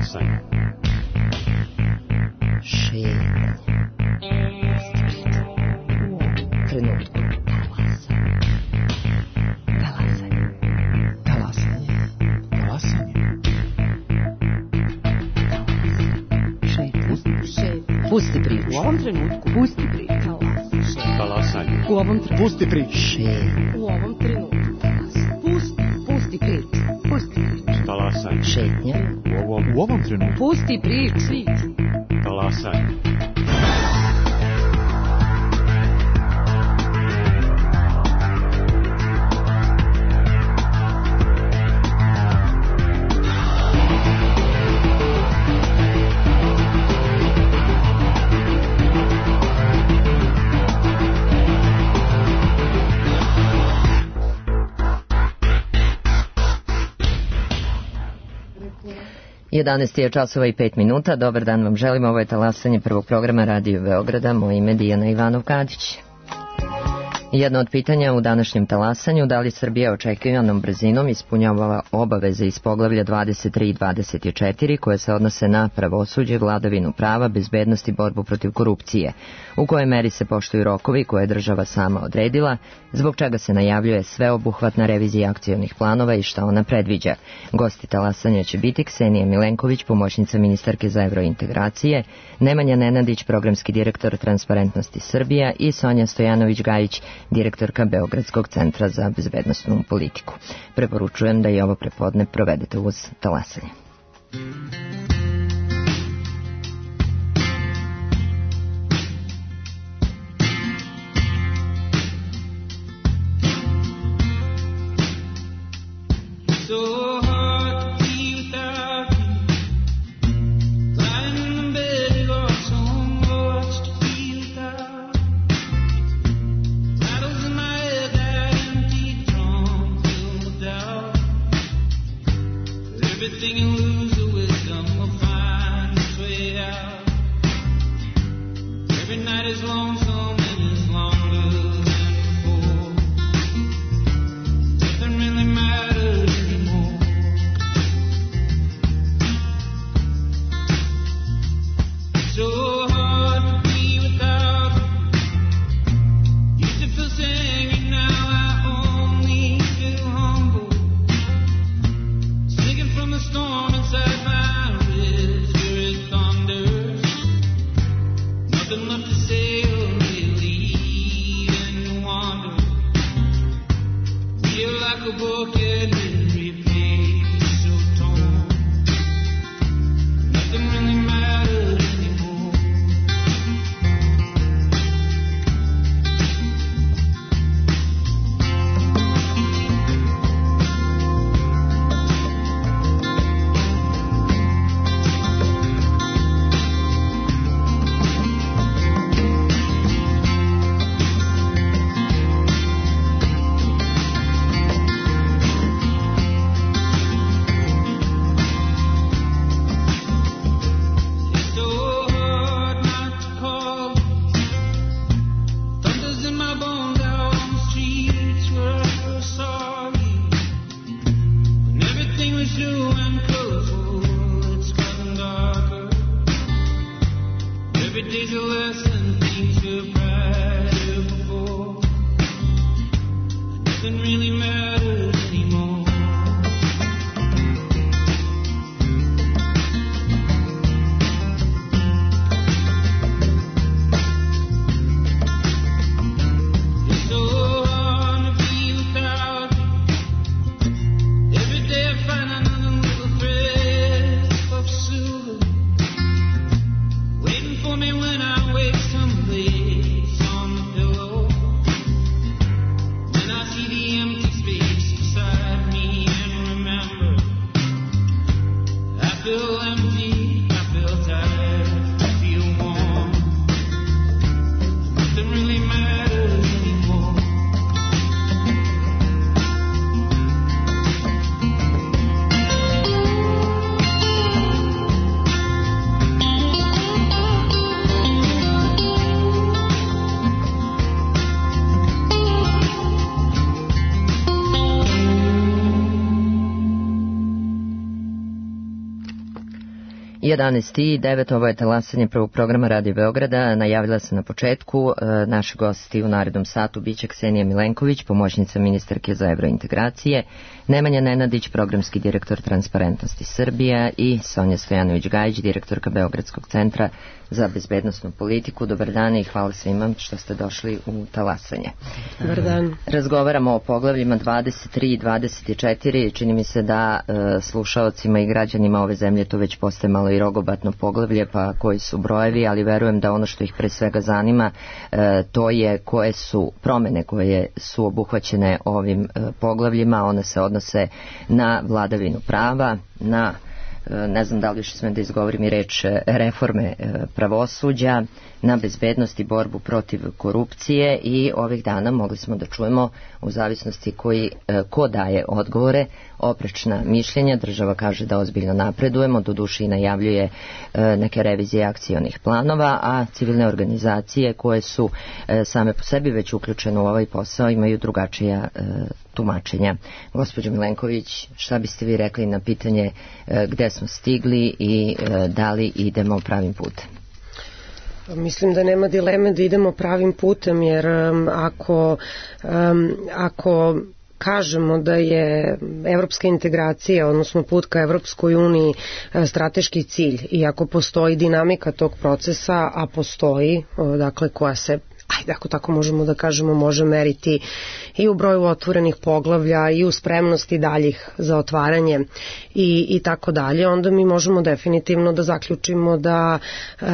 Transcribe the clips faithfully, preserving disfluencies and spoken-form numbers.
Talasanje. Šetnje. Trenutku. Talasanje. Talasanje. Talasanje. Šetnje. Pusti priču. U ovom trenutku. Pusti priču. Talasanje. U ovom trenutku. Pusti priču. Šetnje. U ovom trenutku. Pusti. Pusti priču. Pusti priču. Talasanje. Šetnje. U ovom, U ovom trenutku. Pusti priču. talasanje. jedanaest je časova i pet minuta. Dobar dan vam želim. Ovo je talasanje prvog programa Radio Beograda. Moje ime je Dijana Ivanov-Kadić. Jedno od pitanja u današnjem talasanju, da li Srbija očekivanom brzinom ispunjava obaveze iz poglavlja dvadeset tri i dvadeset četiri koje se odnose na pravosuđe, vladavinu prava, bezbednost i borbu protiv korupcije, u kojoj meri se poštuju rokovi koje je država sama odredila, zbog čega se najavljuje sveobuhvatna revizija akcionih planova i šta ona predviđa. Gosti talasanja će biti Ksenija Milenković, pomoćnica ministarke za evrointegracije, Nemanja Nenadić, programski direktor Transparentnosti Srbija i Sonja Stojanović-Gajić, direktorka Beogradskog centra za bezbednosnu politiku. Preporučujem da i ovo prepodne provedete uz talasanje. See the empty space. jedanaest i devet, ovo je talasanje prvog programa Radio Beograda. Najavila sam na početku, naši gosti u narednom satu biće Ksenija Milenković, pomoćnica ministarke za evrointegracije, Nemanja Nenadić, programski direktor Transparentnosti Srbija i Sonja Stojanović-Gajić, direktorka Beogradskog centra za bezbednosnu politiku. Dobar dan i hvala svima što ste došli u talasanje. Dobar dan. Razgovaramo o poglavljima dvadeset tri i dvadeset četiri. Čini mi se da e, slušaocima i građanima ove zemlje to već postaje malo i rogobatno poglavlje, pa koji su brojevi, ali verujem da ono što ih pre svega zanima e, to je koje su promene koje su obuhvaćene ovim e, poglavljima. One se odnose na vladavinu prava, na ne znam da li još smem da izgovorim i reč reforme pravosuđa, na bezbednost i borbu protiv korupcije i ovih dana mogli smo da čujemo u zavisnosti koji, ko daje odgovore, oprečna mišljenja. Država kaže da ozbiljno napredujemo, doduše i najavljuje neke revizije akcionih planova, a civilne organizacije koje su same po sebi već uključene u ovaj posao imaju drugačija tumačenja. Gospođo Milenković, šta biste vi rekli na pitanje gde smo stigli i da li idemo pravim putem? Mislim da nema dileme da idemo pravim putem, jer um, ako, um, ako kažemo da je evropska integracija, odnosno put ka Evropskoj uniji strateški cilj i ako postoji dinamika tog procesa, a postoji, dakle koja se, ajde ako tako možemo da kažemo, može meriti i u broju otvorenih poglavlja i u spremnosti daljih za otvaranje i, i tako dalje, onda mi možemo definitivno da zaključimo da um,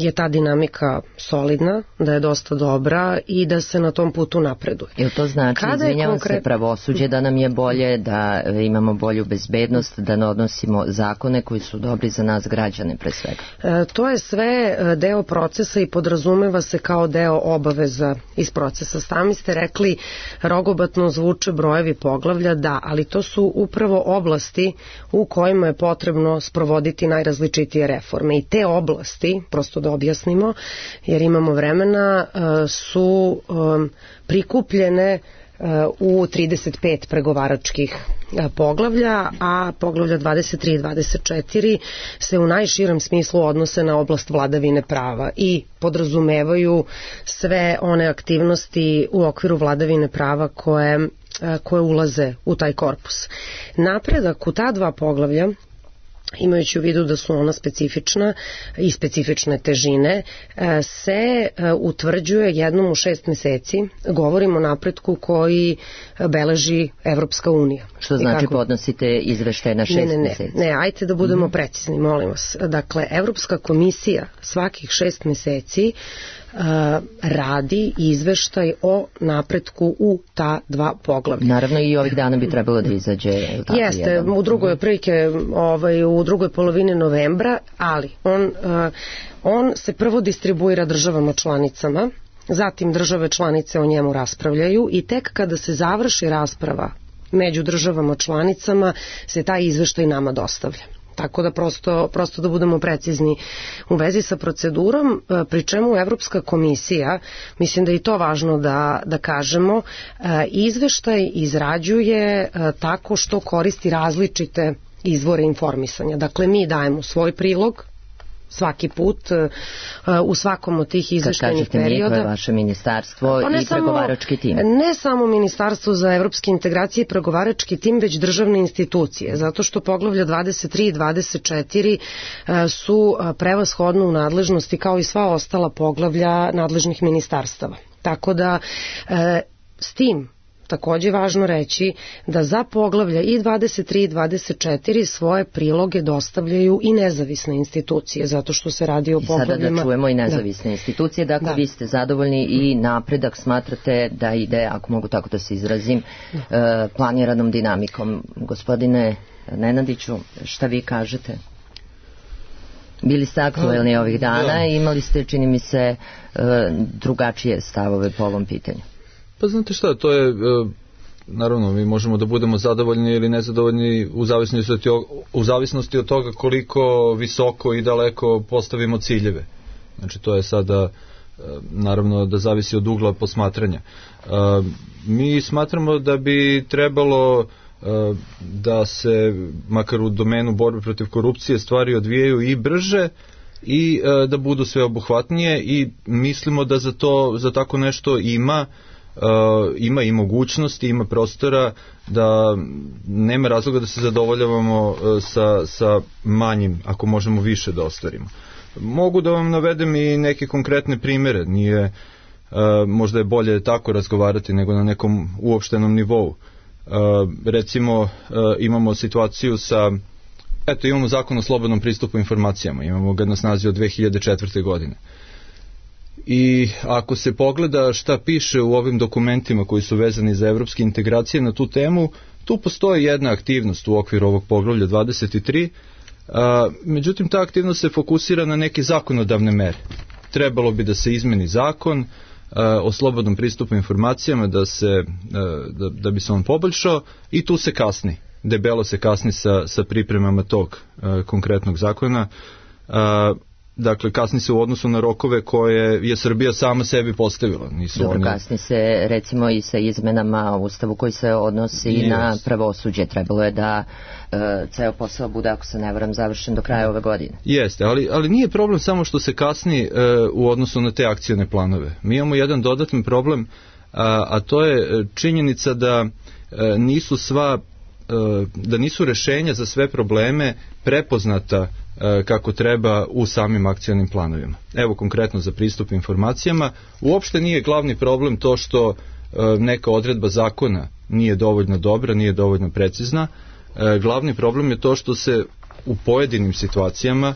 je ta dinamika solidna, da je dosta dobra i da se na tom putu napreduje. Jel to znači, Kada izvinjavam konkret... se, pravosuđe da nam je bolje, da imamo bolju bezbednost, da ne odnosimo zakone koji su dobri za nas građane pre svega? E, to je sve deo procesa i podrazumeva se kao deo obaveza iz procesa. Sami ste rekli, rogobatno zvuče brojevi poglavlja, da, ali to su upravo oblasti u kojima je potrebno sprovoditi najrazličitije reforme. I te oblasti, prosto da objasnimo, jer imamo vremena, su prikupljene u trideset pet pregovaračkih poglavlja, a poglavlja dvadeset tri i dvadeset četiri se u najširem smislu odnose na oblast vladavine prava i podrazumevaju sve one aktivnosti u okviru vladavine prava koje, koje ulaze u taj korpus. Napredak u ta dva poglavlja, imajući u vidu da su ona specifična i specifične težine, se utvrđuje jednom u šest meseci. Govorimo o napretku koji beleži Evropska unija. Što znači kako... podnosite izveštaje na šest ne, ne, ne, meseci? Ne, ajte da budemo mm-hmm. precizni, molim vas. Dakle, Evropska komisija svakih šest meseci Uh, radi izveštaj o napretku u ta dva poglavlja. Naravno i ovih dana bi trebalo da izađe. Jeste, jedan. u drugoj prilike, ovaj, u drugoj polovini novembra, ali on, uh, on se prvo distribuira državama članicama, zatim države članice o njemu raspravljaju i tek kada se završi rasprava među državama članicama se taj izveštaj nama dostavlja. Tako da prosto, prosto da budemo precizni u vezi sa procedurom, pri čemu Evropska komisija, mislim da je i to važno da, da kažemo, izveštaj izrađuje tako što koristi različite izvore informisanja. Dakle, mi dajemo svoj prilog svaki put u svakom od tih izveštajnih perioda. Mi, to je vaše ministarstvo i samo, pregovarački tim. Ne samo ministarstvo za evropske integracije i pregovarački tim, već državne institucije, zato što poglavlja dvadeset tri i dvadeset četiri su prevashodno u nadležnosti kao i sva ostala poglavlja nadležnih ministarstava. Tako da s tim takođe važno reći da za poglavlja i dvadeset tri i dvadeset četiri svoje priloge dostavljaju i nezavisne institucije, zato što se radi o poglavljima. I sada da čujemo i nezavisne da. institucije, dakle da. vi ste zadovoljni i napredak smatrate da ide, ako mogu tako da se izrazim, da. planiranom dinamikom. Gospodine Nenadiću, šta vi kažete? Bili ste aktuelni ovih dana i imali ste, čini mi se, drugačije stavove po ovom pitanju. Pa znate šta, to je, naravno, mi možemo da budemo zadovoljni ili nezadovoljni u zavisnosti od, u zavisnosti od toga koliko visoko i daleko postavimo ciljeve. Znači, to je sada, naravno, da zavisi od ugla posmatranja. Mi smatramo da bi trebalo da se, makar u domenu borbe protiv korupcije, stvari odvijaju i brže i da budu sveobuhvatnije i mislimo da za to, za tako nešto ima Uh, ima i mogućnosti, ima prostora, da nema razloga da se zadovoljavamo uh, sa, sa manjim, ako možemo više da ostvarimo. Mogu da vam navedem i neke konkretne primere, nije, uh, možda je bolje tako razgovarati nego na nekom uopštenom nivou. Uh, recimo uh, imamo situaciju sa, eto imamo zakon o slobodnom pristupu informacijama, imamo ga na snazi od dve hiljade četvrte. godine. I ako se pogleda šta piše u ovim dokumentima koji su vezani za evropske integracije na tu temu, tu postoji jedna aktivnost u okviru ovog poglavlja dvadeset tri, a, međutim ta aktivnost se fokusira na neke zakonodavne mere. Trebalo bi da se izmeni zakon a, o slobodnom pristupu informacijama, da, se, a, da, da bi se on poboljšao i tu se kasni. Debelo se kasni sa, sa pripremama tog a, konkretnog zakona. A, Dakle, kasni se u odnosu na rokove koje je Srbija sama sebi postavila. Nisu Dobro, oni... kasni se recimo i sa izmenama u Ustavu koji se odnosi yes. na pravosuđe. Trebalo je da uh, ceo posao bude, ako se ne varam, završen do kraja ove godine. Jeste, ali, ali nije problem samo što se kasni uh, u odnosu na te akcione planove. Mi imamo jedan dodatan problem, a, a to je činjenica da uh, nisu sva da nisu rešenja za sve probleme prepoznata kako treba u samim akcionim planovima. Evo konkretno za pristup informacijama, uopšte nije glavni problem to što neka odredba zakona nije dovoljno dobra, nije dovoljno precizna. Glavni problem je to što se u pojedinim situacijama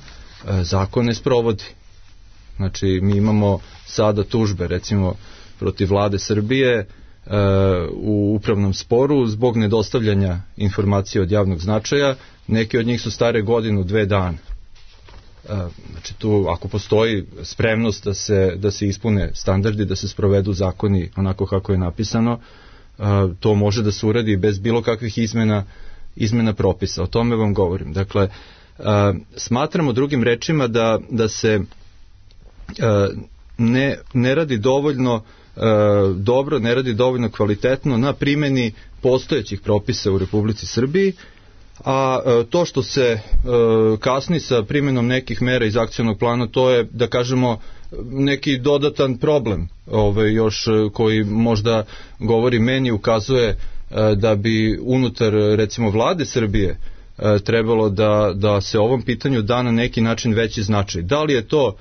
zakon ne sprovodi. Znači, mi imamo sada tužbe, recimo, protiv vlade Srbije u upravnom sporu zbog nedostavljanja informacija od javnog značaja. Neke od njih su stare godinu, dve dana. Znači tu ako postoji spremnost da se, da se ispune standardi, da se sprovedu zakoni onako kako je napisano, to može da se uradi bez bilo kakvih izmena, izmena propisa. O tome vam govorim. Dakle, smatramo drugim rečima da, da se ne, ne radi dovoljno dobro, ne radi dovoljno kvalitetno na primjeni postojećih propisa u Republici Srbiji, a to što se kasni sa primjenom nekih mera iz akcionog plana, to je, da kažemo, neki dodatan problem ovaj, još koji možda govori meni, ukazuje da bi unutar, recimo, vlade Srbije trebalo da, da se ovom pitanju da na neki način veći značaj. Da li je to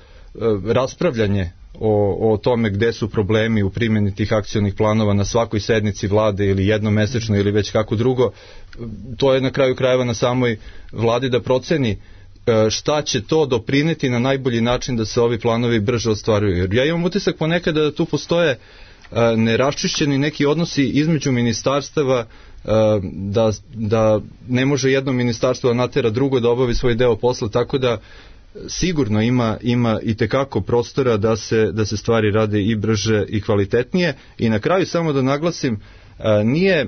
raspravljanje O, o tome gde su problemi u primjeni tih akcionih planova na svakoj sednici vlade ili jednomesečno ili već kako drugo, to je na kraju krajeva na samoj vladi da proceni šta će to doprineti na najbolji način da se ovi planovi brže ostvaruju. Jer ja imam utisak ponekada da tu postoje neraščišćeni neki odnosi između ministarstava, da, da ne može jedno ministarstvo da natera drugo da obavi svoj deo posla, tako da sigurno ima, ima i tekako prostora da se, da se stvari rade i brže i kvalitetnije. I na kraju samo da naglasim, nije,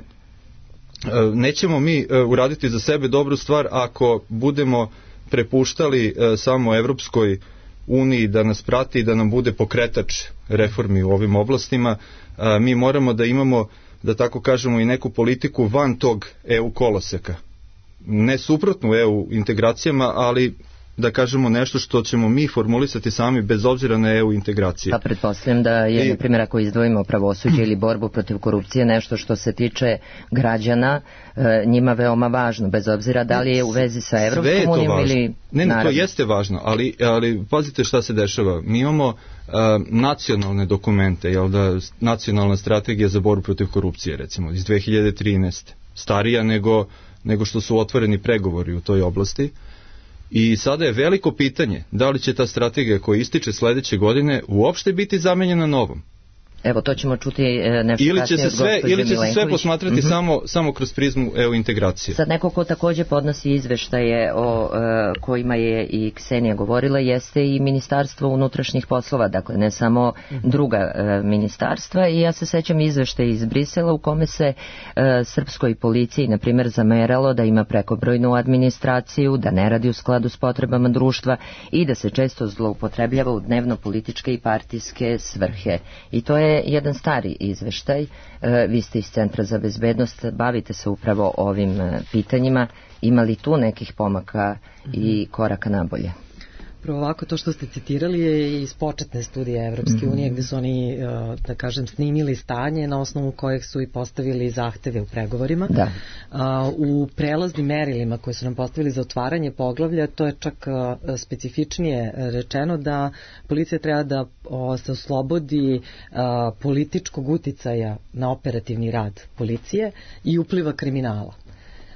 nećemo mi uraditi za sebe dobru stvar ako budemo prepuštali samo Evropskoj uniji da nas prati i da nam bude pokretač reformi u ovim oblastima. Mi moramo da imamo, da tako kažemo, i neku politiku van tog E U koloseka. Ne suprotnu E U integracijama, ali da kažemo nešto što ćemo mi formulisati sami bez obzira na E U integracije. Pa pretpostavljam da je, I... na primjer, ako izdvojimo pravosuđe ili borbu protiv korupcije, nešto što se tiče građana, njima veoma važno, bez obzira da li je u vezi sa Evropskom unijom ili... Ne, ne, to jeste važno, ali, ali pazite šta se dešava. Mi imamo uh, nacionalne dokumente, jel da, nacionalna strategija za borbu protiv korupcije, recimo, iz dve hiljade trinaeste. Starija nego, nego što su otvoreni pregovori u toj oblasti. I sada je veliko pitanje da li će ta strategija koja ističe sledeće godine uopšte biti zamenjena novom. Evo, to ćemo čuti nešto ili kasnije će se sve, ili će se sve posmatrati mm-hmm. samo, samo kroz prizmu E U integracije. Sad neko ko takođe podnosi izveštaje o uh, kojima je i Ksenija govorila jeste i Ministarstvo unutrašnjih poslova, dakle ne samo druga uh, ministarstva, i ja se sećam izveštaja iz Brisela u kome se uh, srpskoj policiji, na primjer, zameralo da ima prekobrojnu administraciju, da ne radi u skladu s potrebama društva i da se često zloupotrebljava u dnevno političke i partijske svrhe. I to je je jedan stari izveštaj, vi ste iz Centra za bezbednost, bavite se upravo ovim pitanjima, ima li tu nekih pomaka i koraka nabolje? Prvo ovako, to što ste citirali je iz početne studije Evropske mm-hmm. unije, gde su oni, da kažem, snimili stanje na osnovu kojeg su i postavili zahteve u pregovorima. Da. U prelaznim merilima koje su nam postavili za otvaranje poglavlja, to je čak specifičnije rečeno da policija treba da se oslobodi političkog uticaja na operativni rad policije i upliva kriminala.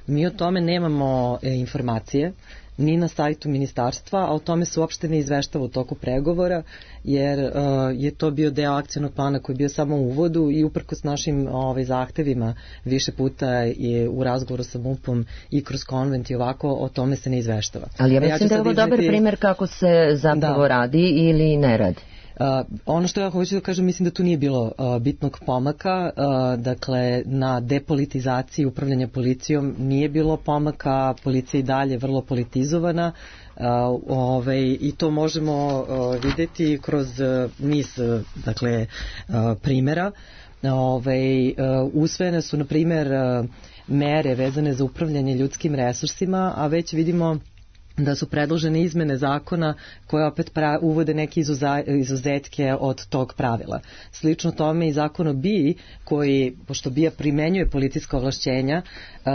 Mi o tome nemamo informacije, ni na sajtu ministarstva, a o tome se uopšte ne izveštava u toku pregovora, jer uh, je to bio deo akcionog plana koji je bio samo u uvodu i uprkos našim ovaj, zahtevima više puta je u razgovoru sa MUP-om i kroz konvent i ovako, o tome se ne izveštava. Ali ja mislim ja da je ovo izneti... dobar primjer kako se zapravo da. radi ili ne radi. Uh, ono što ja hoću da kažem, mislim da tu nije bilo uh, bitnog pomaka, uh, dakle na depolitizaciji upravljanja policijom nije bilo pomaka, policija i dalje vrlo politizovana, uh, ovaj, i to možemo uh, videti kroz uh, niz uh, dakle, uh, primjera. Ovaj, uh, usvojene su na primjer uh, mere vezane za upravljanje ljudskim resursima, a već vidimo da su predložene izmene zakona koje opet pra, uvode neke izuza, izuzetke od tog pravila. Slično tome i zakon o B I A koji, pošto B I A primenjuje policijska ovlašćenja, uh,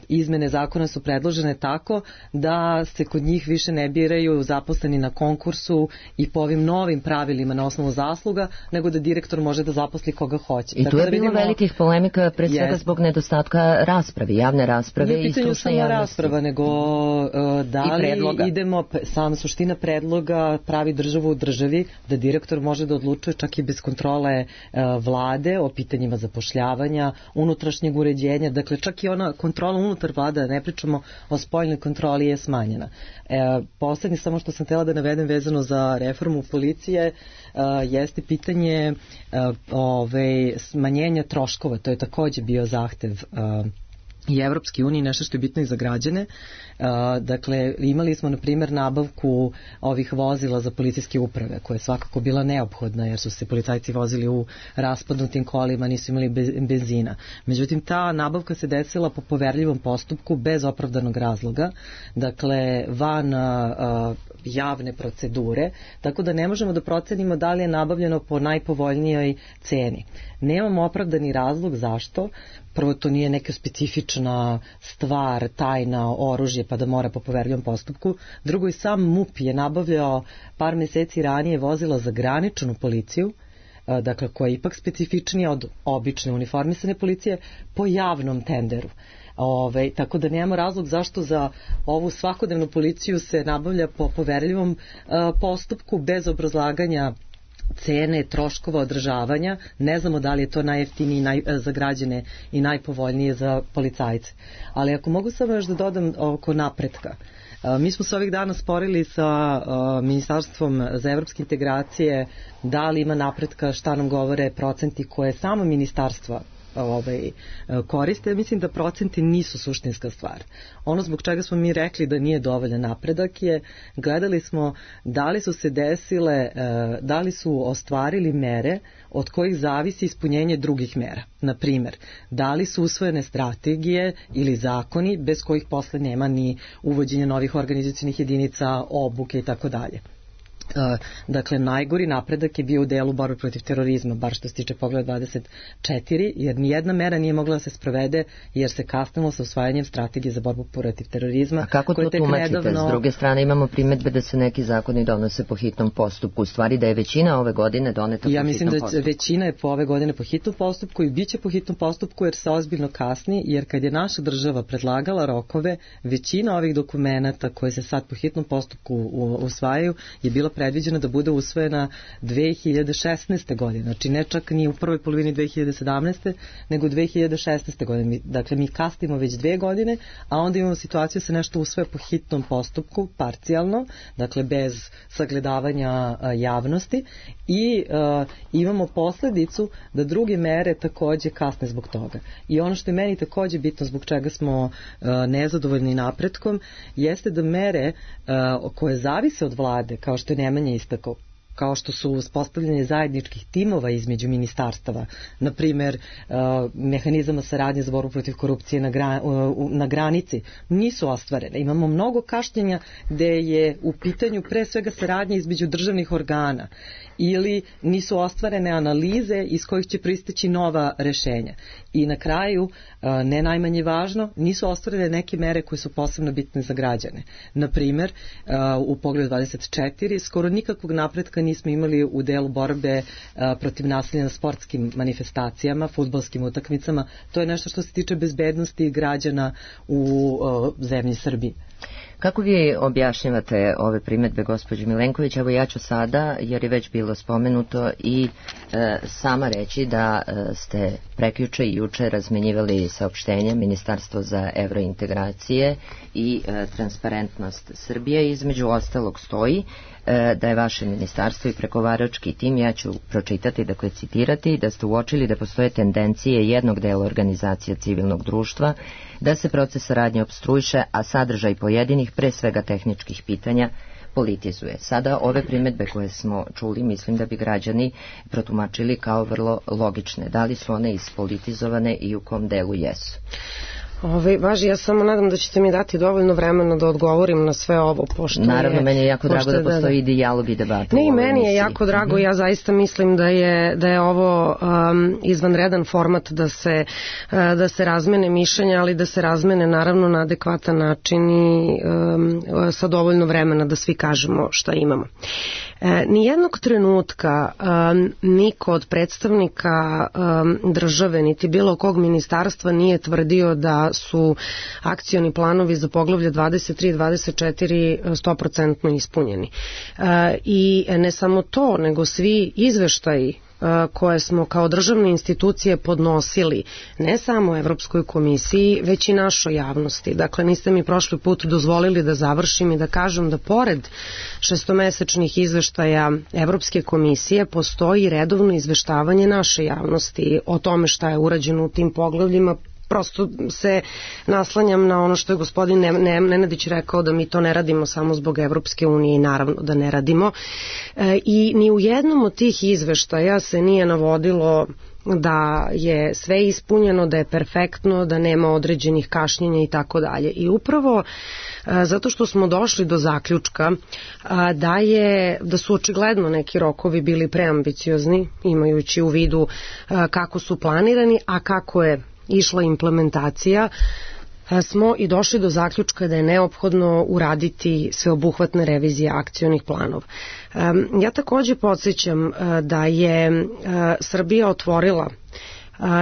izmene zakona su predložene tako da se kod njih više ne biraju zaposleni na konkursu i po ovim novim pravilima na osnovu zasluga, nego da direktor može da zaposli koga hoće. I tu je da bilo vidimo, velikih polemika, pre svega jest, zbog nedostatka rasprave, javne rasprave i stručne javnosti. Nije pitanje samo rasprava, nego uh, da li idemo, sama suština predloga pravi državu u državi, da direktor može da odlučuje čak i bez kontrole uh, vlade o pitanjima zapošljavanja, unutrašnjeg uređenja, dakle čak i ona kontrola unutar vlada, ne pričamo o spoljnoj kontroli, je smanjena. E, poslednje samo što sam htjela da navedem vezano za reformu policije uh, jeste pitanje uh, ove, smanjenja troškova, to je takođe bio zahtev uh, i Evropske unije, nešto što je bitno i za građane. Uh, dakle, imali smo na primjer nabavku ovih vozila za policijske uprave, koja je svakako bila neophodna jer su se policajci vozili u raspadnutim kolima, nisu imali be, benzina. Međutim, ta nabavka se desila po poverljivom postupku bez opravdanog razloga, dakle van uh, javne procedure, tako da ne možemo da procenimo da li je nabavljeno po najpovoljnijoj ceni. Nemamo opravdani razlog zašto. Prvo, to nije neka specifična stvar, tajna, oružje, pa da mora po poverljivom postupku. Drugo, i sam MUP je nabavljao par meseci ranije vozila za graničnu policiju, dakle koja je ipak specifičnija od obične uniformisane policije, po javnom tenderu. Ove, tako da nemamo razlog zašto za ovu svakodnevnu policiju se nabavlja po poverljivom uh, postupku bez obrazlaganja cene, troškova održavanja. Ne znamo da li je to najjeftinije naj, za građane i najpovoljnije za policajce. Ali ako mogu samo još da dodam oko napretka. Uh, mi smo se ovih dana sporili sa uh, Ministarstvom za evropske integracije da li ima napretka, šta nam govore procenti koje samo ministarstva ovaj, koriste. Mislim da procenti nisu suštinska stvar. Ono zbog čega smo mi rekli da nije dovoljan napredak je, gledali smo da li su se desile, da li su ostvarili mere od kojih zavisi ispunjenje drugih mera. Na primjer, da li su usvojene strategije ili zakoni bez kojih posle nema ni uvođenja novih organizacionih jedinica, obuke i tako dalje. Uh, dakle, najgori napredak je bio u delu borbe protiv terorizma, bar što se tiče pogleda dvadeset četiri, jer nijedna mera nije mogla da se sprovede jer se kasnilo sa usvajanjem strategije za borbu protiv terorizma. A kako to tumačite? Nedavno... S druge strane imamo primetbe da se neki zakoni donose po hitnom postupku. U stvari da je većina ove godine doneta ja po hitnom postupku. Ja mislim da većina je po ove godine po hitnom postupku i bit će po hitnom postupku jer se ozbiljno kasni, jer kad je naša država predlagala rokove, većina ovih dokumenata koje se sad po hitnom postupku usvajaju je bila predviđena da bude usvojena dve hiljade šesnaeste. godine, znači ne čak ni u prvoj polovini dve hiljade sedamnaeste. nego dve hiljade šesnaeste. godine. Dakle, mi kasnimo već dve godine, a onda imamo situaciju da se nešto usvoje po hitnom postupku, parcijalno, dakle bez sagledavanja a, javnosti i a, imamo posledicu da druge mere takođe kasne zbog toga. I ono što je meni takođe bitno zbog čega smo a, nezadovoljni napretkom, jeste da mere a, koje zavise od vlade, kao što je Nemanja istakao, kao što su uspostavljanje zajedničkih timova između ministarstava, na primjer mehanizama saradnje za borbu protiv korupcije na, gra, na granici, nisu ostvarene. Imamo mnogo kašnjenja gde je u pitanju pre svega saradnja između državnih organa ili nisu ostvarene analize iz kojih će proisteći nova rešenja. I na kraju, ne najmanje važno, nisu ostvarene neke mere koje su posebno bitne za građane. Na primjer, u poglavlju dvadeset četiri skoro nikakvog napretka nismo imali u delu borbe protiv nasilja na sportskim manifestacijama, fudbalskim utakmicama. To je nešto što se tiče bezbednosti građana u zemlji Srbiji. Kako vi objašnjavate ove primedbe gospođe Milenković? Evo ja ću sada, jer je već bilo spomenuto, i e, sama reći da e, ste prekjuče i juče razmenjivali saopštenja Ministarstvo za evrointegracije i e, transparentnost Srbije. Između ostalog stoji e, da je vaše ministarstvo i pregovarački tim, ja ću pročitati, dakle citirati, da ste uočili da postoje tendencije jednog dela organizacija civilnog društva da se proces saradnje opstruiše, a sadržaj pojedinih, pre svega tehničkih pitanja, politizuje. Sada ove primedbe koje smo čuli, mislim da bi građani protumačili kao vrlo logične. Da li su one ispolitizovane i u kom delu jesu? Ove, važi, ja samo nadam da ćete mi dati dovoljno vremena da odgovorim na sve ovo, pošto Naravno, je, meni je jako drago da postoji da, dijalog i debata. Ne, i meni je jako drago, mm-hmm. ja zaista mislim da je, da je ovo um, izvanredan format da se, uh, da se razmene mišljenja, ali da se razmene naravno na adekvatan način i um, sa dovoljno vremena da svi kažemo šta imamo. E, nijednog trenutka um, niko od predstavnika um, države, niti bilo kog ministarstva nije tvrdio da su akcioni planovi za poglavlje dvadeset tri i dvadeset četiri sto posto ispunjeni. E, I ne samo to, nego svi izveštaji koje smo kao državne institucije podnosili ne samo Evropskoj komisiji, već i našoj javnosti. Dakle, niste mi prošli put dozvolili da završim i da kažem da pored šestomesečnih izveštaja Evropske komisije postoji redovno izveštavanje naše javnosti o tome šta je urađeno u tim poglavljima. Prosto se naslanjam na ono što je gospodin Nenadić rekao, da mi to ne radimo samo zbog Evropske unije, i naravno da ne radimo. E, I ni u jednom od tih izveštaja se nije navodilo da je sve ispunjeno, da je perfektno, da nema određenih kašnjenja i tako dalje. I upravo a, zato što smo došli do zaključka a, da je da su očigledno neki rokovi bili preambiciozni, imajući u vidu a, kako su planirani, a kako je išla implementacija, smo i došli do zaključka da je neophodno uraditi sveobuhvatne revizije akcionih planova. Ja takođe podsjećam da je Srbija otvorila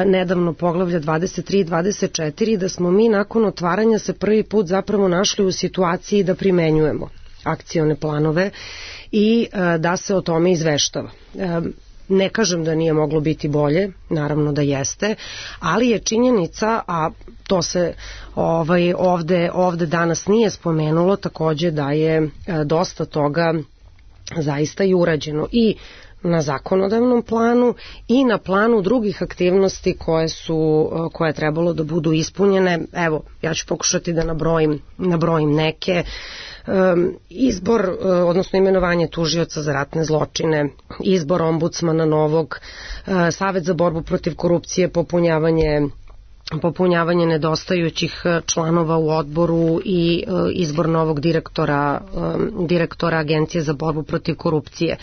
nedavno poglavlja dvadeset tri i dvadeset četiri, da smo mi nakon otvaranja se prvi put zapravo našli u situaciji da primenjujemo akcione planove i da se o tome izveštava. Ne kažem da nije moglo biti bolje, naravno da jeste, ali je činjenica, a to se ovaj, ovde, ovde danas nije spomenulo, takođe da je dosta toga zaista i urađeno i na zakonodavnom planu i na planu drugih aktivnosti koje su, koje je trebalo da budu ispunjene. Evo, ja ću pokušati da nabrojim, nabrojim neke. Izbor, odnosno imenovanje tužioca za ratne zločine, izbor ombudsmana novog, Savet za borbu protiv korupcije, popunjavanje popunjavanje nedostajućih članova u odboru i izbor novog direktora, direktora Agencije za borbu protiv korupcije.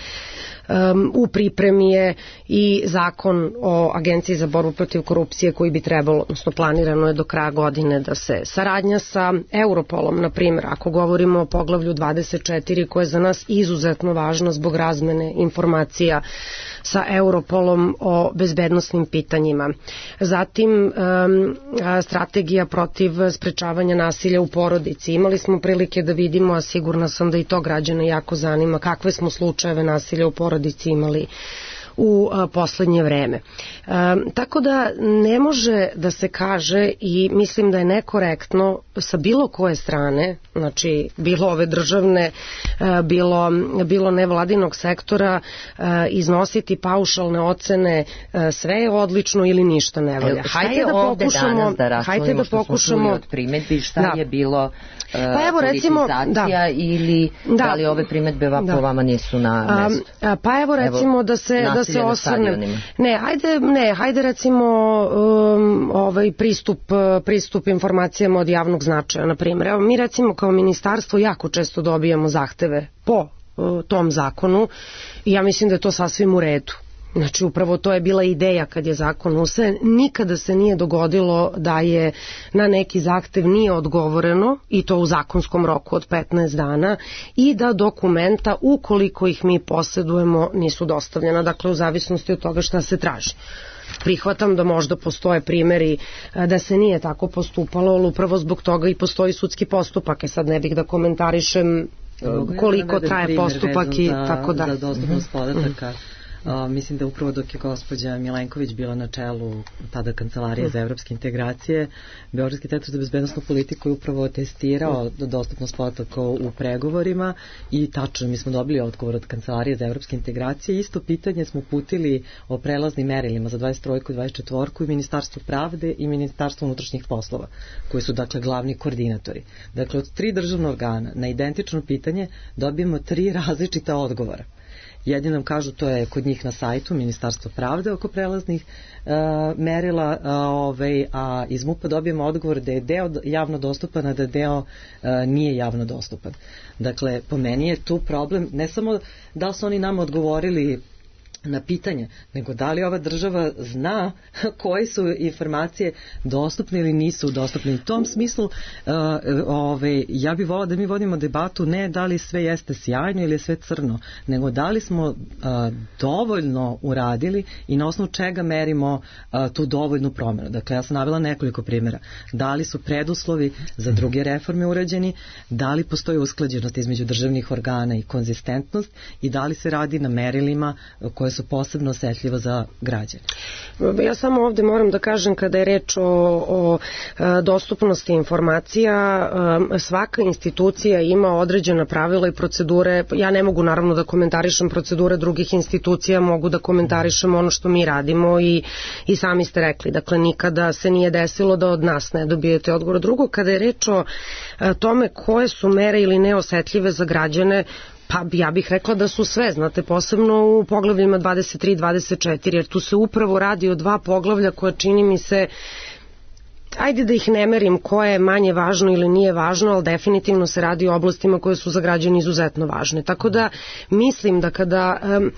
U pripremi je i zakon o Agenciji za borbu protiv korupcije koji bi trebalo, odnosno planirano je do kraja godine da se saradnja sa Europolom, na primjer, ako govorimo o poglavlju dvadeset četiri koje je za nas izuzetno važno zbog razmene informacija sa Europolom o bezbednosnim pitanjima. Zatim strategija protiv sprečavanja nasilja u porodici. Imali smo prilike da vidimo, a sigurna sam da i to građane jako zanima, kakve smo slučajeve nasilja u porodici imali u poslednje vreme. Tako da ne može da se kaže i mislim da je nekorektno sa bilo koje strane, znači bilo ove državne, bilo, bilo nevladinog sektora, iznositi paušalne ocene, sve je odlično ili ništa ne valja. Hajde da pokušamo, da hajde da pokušamo od primedbi šta da. je bilo uh, pa evo, recimo, politizacija da. ili da. da li ove primedbe da. po vama nisu na mestu? A, pa evo recimo evo, da se da se osvrnem. Ne, hajde, ne, hajde recimo um, ovaj pristup pristup informacijama od javnog značaja, na primjer. Evo mi recimo kao ministarstvo jako često dobijamo zahteve po uh, tom zakonu i ja mislim da je to sasvim u redu. Znači upravo to je bila ideja kad je zakon usvojen. Nikada se nije dogodilo da je na neki zahtev nije odgovoreno i to u zakonskom roku od petnaest dana i da dokumenta ukoliko ih mi posjedujemo nisu dostavljena, dakle u zavisnosti od toga šta se traži. Prihvatam da možda postoje primjeri da se nije tako postupalo, ali upravo zbog toga i postoji sudski postupak. E sad ne bih da komentarišem koliko traje postupak i tako da. Za dostupnost podataka. Uh, mislim da upravo dok je gospođa Milenković bila na čelu tada Kancelarije za evropske integracije, Beogradski centar za bezbednosnu politiku je upravo testirao dostupnost podataka u pregovorima i tačno mi smo dobili odgovor od Kancelarije za evropske integracije. Isto pitanje smo putili o prelaznim merilima za dvadeset tri i dvadeset četiri i Ministarstvo pravde i Ministarstvo unutrašnjih poslova, koji su dakle glavni koordinatori. Dakle, od tri državna organa na identično pitanje dobijemo tri različita odgovora. Jedni nam kažu to je kod njih na sajtu Ministarstva pravde oko prelaznih uh, merila, uh, ovaj, a iz MUP-a dobijemo odgovor da je deo javno dostupan, a da deo uh, nije javno dostupan. Dakle, po meni je tu problem ne samo da su oni nama odgovorili na pitanje, nego da li ova država zna koje su informacije dostupne ili nisu dostupne. U tom smislu uh, ove, ja bih volila da mi vodimo debatu ne da li sve jeste sjajno ili je sve crno, nego da li smo uh, dovoljno uradili i na osnovu čega merimo uh, tu dovoljnu promjenu. Dakle, ja sam navela nekoliko primjera. Da li su preduslovi za druge reforme urađeni, da li postoji usklađenost između državnih organa i konzistentnost i da li se radi na merilima koje su posebno osetljiva za građane. Ja samo ovde moram da kažem kada je reč o, o dostupnosti informacija, svaka institucija ima određena pravila i procedure. Ja ne mogu naravno da komentarišem procedure drugih institucija, mogu da komentarišem ono što mi radimo i, i sami ste rekli. Dakle, nikada se nije desilo da od nas ne dobijete odgovor. Drugo, kada je reč o tome koje su mere ili neosetljive za građane, pa ja bih rekla da su sve, znate, posebno u poglavljima dvadeset tri i dvadeset četiri, jer tu se upravo radi o dva poglavlja koja čini mi se, ajde da ih ne merim koje je manje važno ili nije važno, ali definitivno se radi o oblastima koje su za građane izuzetno važne. Tako da mislim da kada... Um,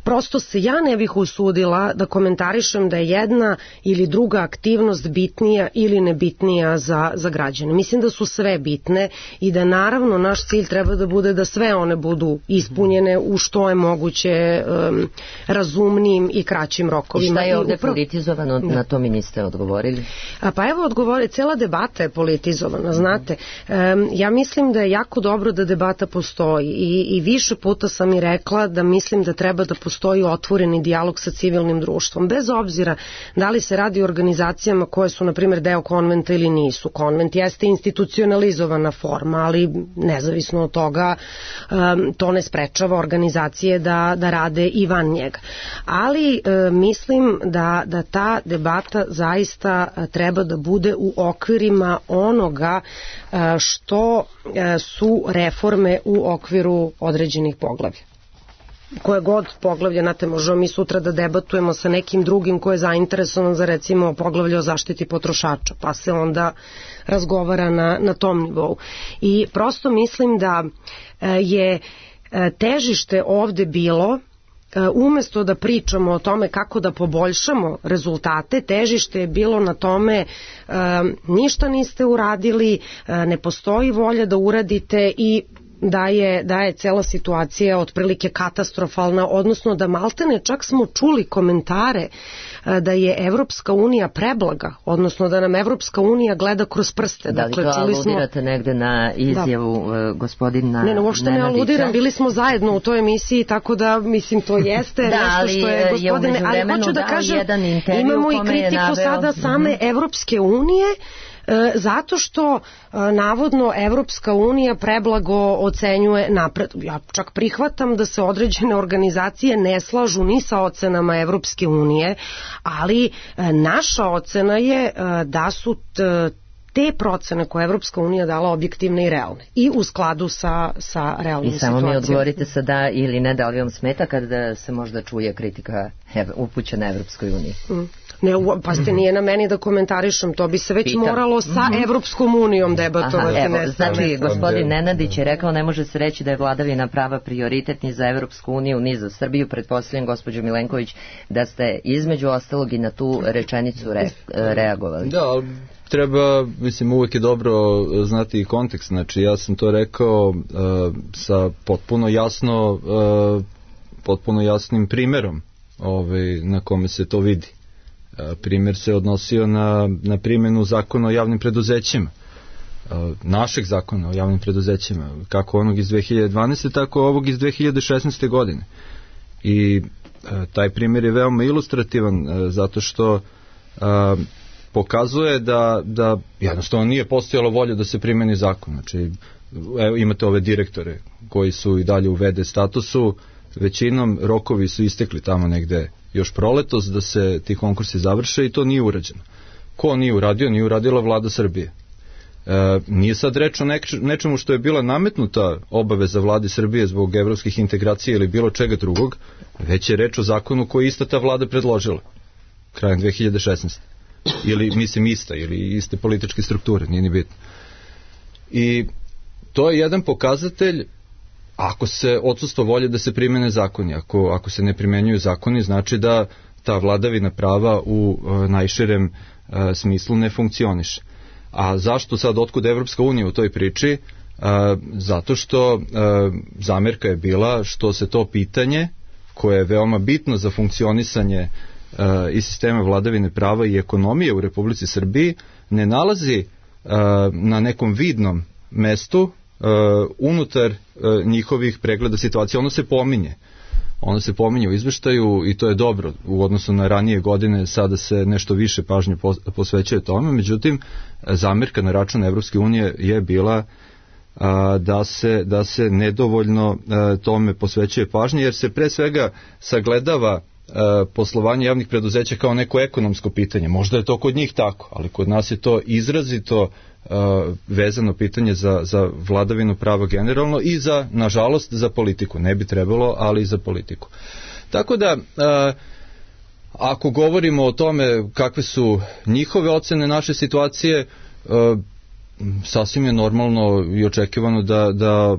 prosto se ja ne bih usudila da komentarišem da je jedna ili druga aktivnost bitnija ili nebitnija za, za građane. Mislim da su sve bitne i da naravno naš cilj treba da bude da sve one budu ispunjene u što je moguće um, razumnijim i kraćim rokovima. I šta je ovde upravo... politizovano, na to mi niste odgovorili? A pa evo odgovori, cela debata je politizovana, znate. Um, ja mislim da je jako dobro da debata postoji i, i više puta sam i rekla da mislim da treba da postoji postoji otvoreni dijalog sa civilnim društvom, bez obzira da li se radi o organizacijama koje su, na primjer, deo konventa ili nisu. Konvent jeste institucionalizovana forma, ali nezavisno od toga um, to ne sprečava organizacije da, da rade i van njega. Ali um, mislim da, da ta debata zaista treba da bude u okvirima onoga uh, što uh, su reforme u okviru određenih poglavlja. Koje god poglavlje, znate, možemo mi sutra da debatujemo sa nekim drugim ko je zainteresovan za recimo poglavlje o zaštiti potrošača, pa se onda razgovara na, na tom nivou. I prosto mislim da je težište ovde bilo, umesto da pričamo o tome kako da poboljšamo rezultate, težište je bilo na tome ništa niste uradili, ne postoji volja da uradite i da je, da je cela situacija otprilike katastrofalna, odnosno da maltene čak smo čuli komentare da je Evropska unija preblaga, odnosno da nam Evropska unija gleda kroz prste. Da li dakle, to aludirate smo... negde na izjavu da. gospodina Ne, no, uopšte ne aludiram, bili smo zajedno u toj emisiji, tako da, mislim, to jeste da, nešto što je gospodine, ali hoću da kažem, imamo i kritiku naveo... sada same mm-hmm. Evropske unije, zato što navodno Evropska unija preblago ocenjuje napred. Ja čak prihvatam da se određene organizacije ne slažu ni sa ocenama Evropske unije, ali naša ocena je da su te procene koje Evropska unija dala objektivne i realne i u skladu sa, sa realnim situacijom. I samo mi odgovorite sa da ili ne, da li vam smeta kada se možda čuje kritika upućena Evropskoj uniji? Mm. Ne, pa ste nije na meni da komentarišem, to bi se već Pitam. moralo sa mm-hmm. Evropskom unijom debatovati. Aha, evo, ne znači, gospodin Nenadić je rekao, ne može se reći da je vladavina prava prioritet ni za Evropsku uniju, ni za Srbiju. Pretpostavljam, gospođo Milenković, da ste između ostalog i na tu rečenicu re, reagovali. Da, ali treba, mislim, uvek je dobro znati i kontekst. Znači, ja sam to rekao uh, sa potpuno jasno, uh, potpuno jasnim primerom ovaj, na kome se to vidi. Primjer se odnosio na, na primjenu zakona o javnim preduzećima, našeg zakona o javnim preduzećima, kako onog iz dve hiljade dvanaeste, tako ovog iz dve hiljade šesnaeste. godine. I taj primjer je veoma ilustrativan, zato što a, pokazuje da, da jednostavno nije postojalo volja da se primjeni zakon. Znači, evo, imate ove direktore koji su i dalje u ve de statusu, većinom rokovi su istekli tamo negde još proletos da se ti konkursi završe i to nije urađeno. Ko nije uradio? Nije uradila vlada Srbije. E, nije sad reč o neč, nečemu što je bila nametnuta obaveza vladi Srbije zbog evropskih integracija ili bilo čega drugog, već je reč o zakonu koji ista ta vlada predložila krajem dve hiljade šesnaeste. Ili, mislim, ista, ili iste političke strukture, nije ni bitno. I to je jedan pokazatelj. Ako se odsustvo volje da se primene zakoni, ako, ako se ne primenjuju zakoni, znači da ta vladavina prava u e, najširem e, smislu ne funkcioniše. A zašto sad, otkud Evropska unija u toj priči? E, zato što e, zamerka je bila što se to pitanje, koje je veoma bitno za funkcionisanje e, i sistema vladavine prava i ekonomije u Republici Srbiji, ne nalazi e, na nekom vidnom mestu Uh, unutar uh, njihovih pregleda situacije. Ono se pominje. Ono se pominje u izveštaju i to je dobro u odnosu na ranije godine, sada se nešto više pažnje posvećuje tome, međutim, zamerka na račun Evropske unije je bila uh, da, se, da se nedovoljno uh, tome posvećuje pažnje, jer se pre svega sagledava uh, poslovanje javnih preduzeća kao neko ekonomsko pitanje. Možda je to kod njih tako, ali kod nas je to izrazito Uh, vezano pitanje za, za vladavinu prava generalno i za, nažalost, za politiku. Ne bi trebalo, ali i za politiku. Tako da, uh, ako govorimo o tome kakve su njihove ocene naše situacije, uh, sasvim je normalno i očekivano da, da,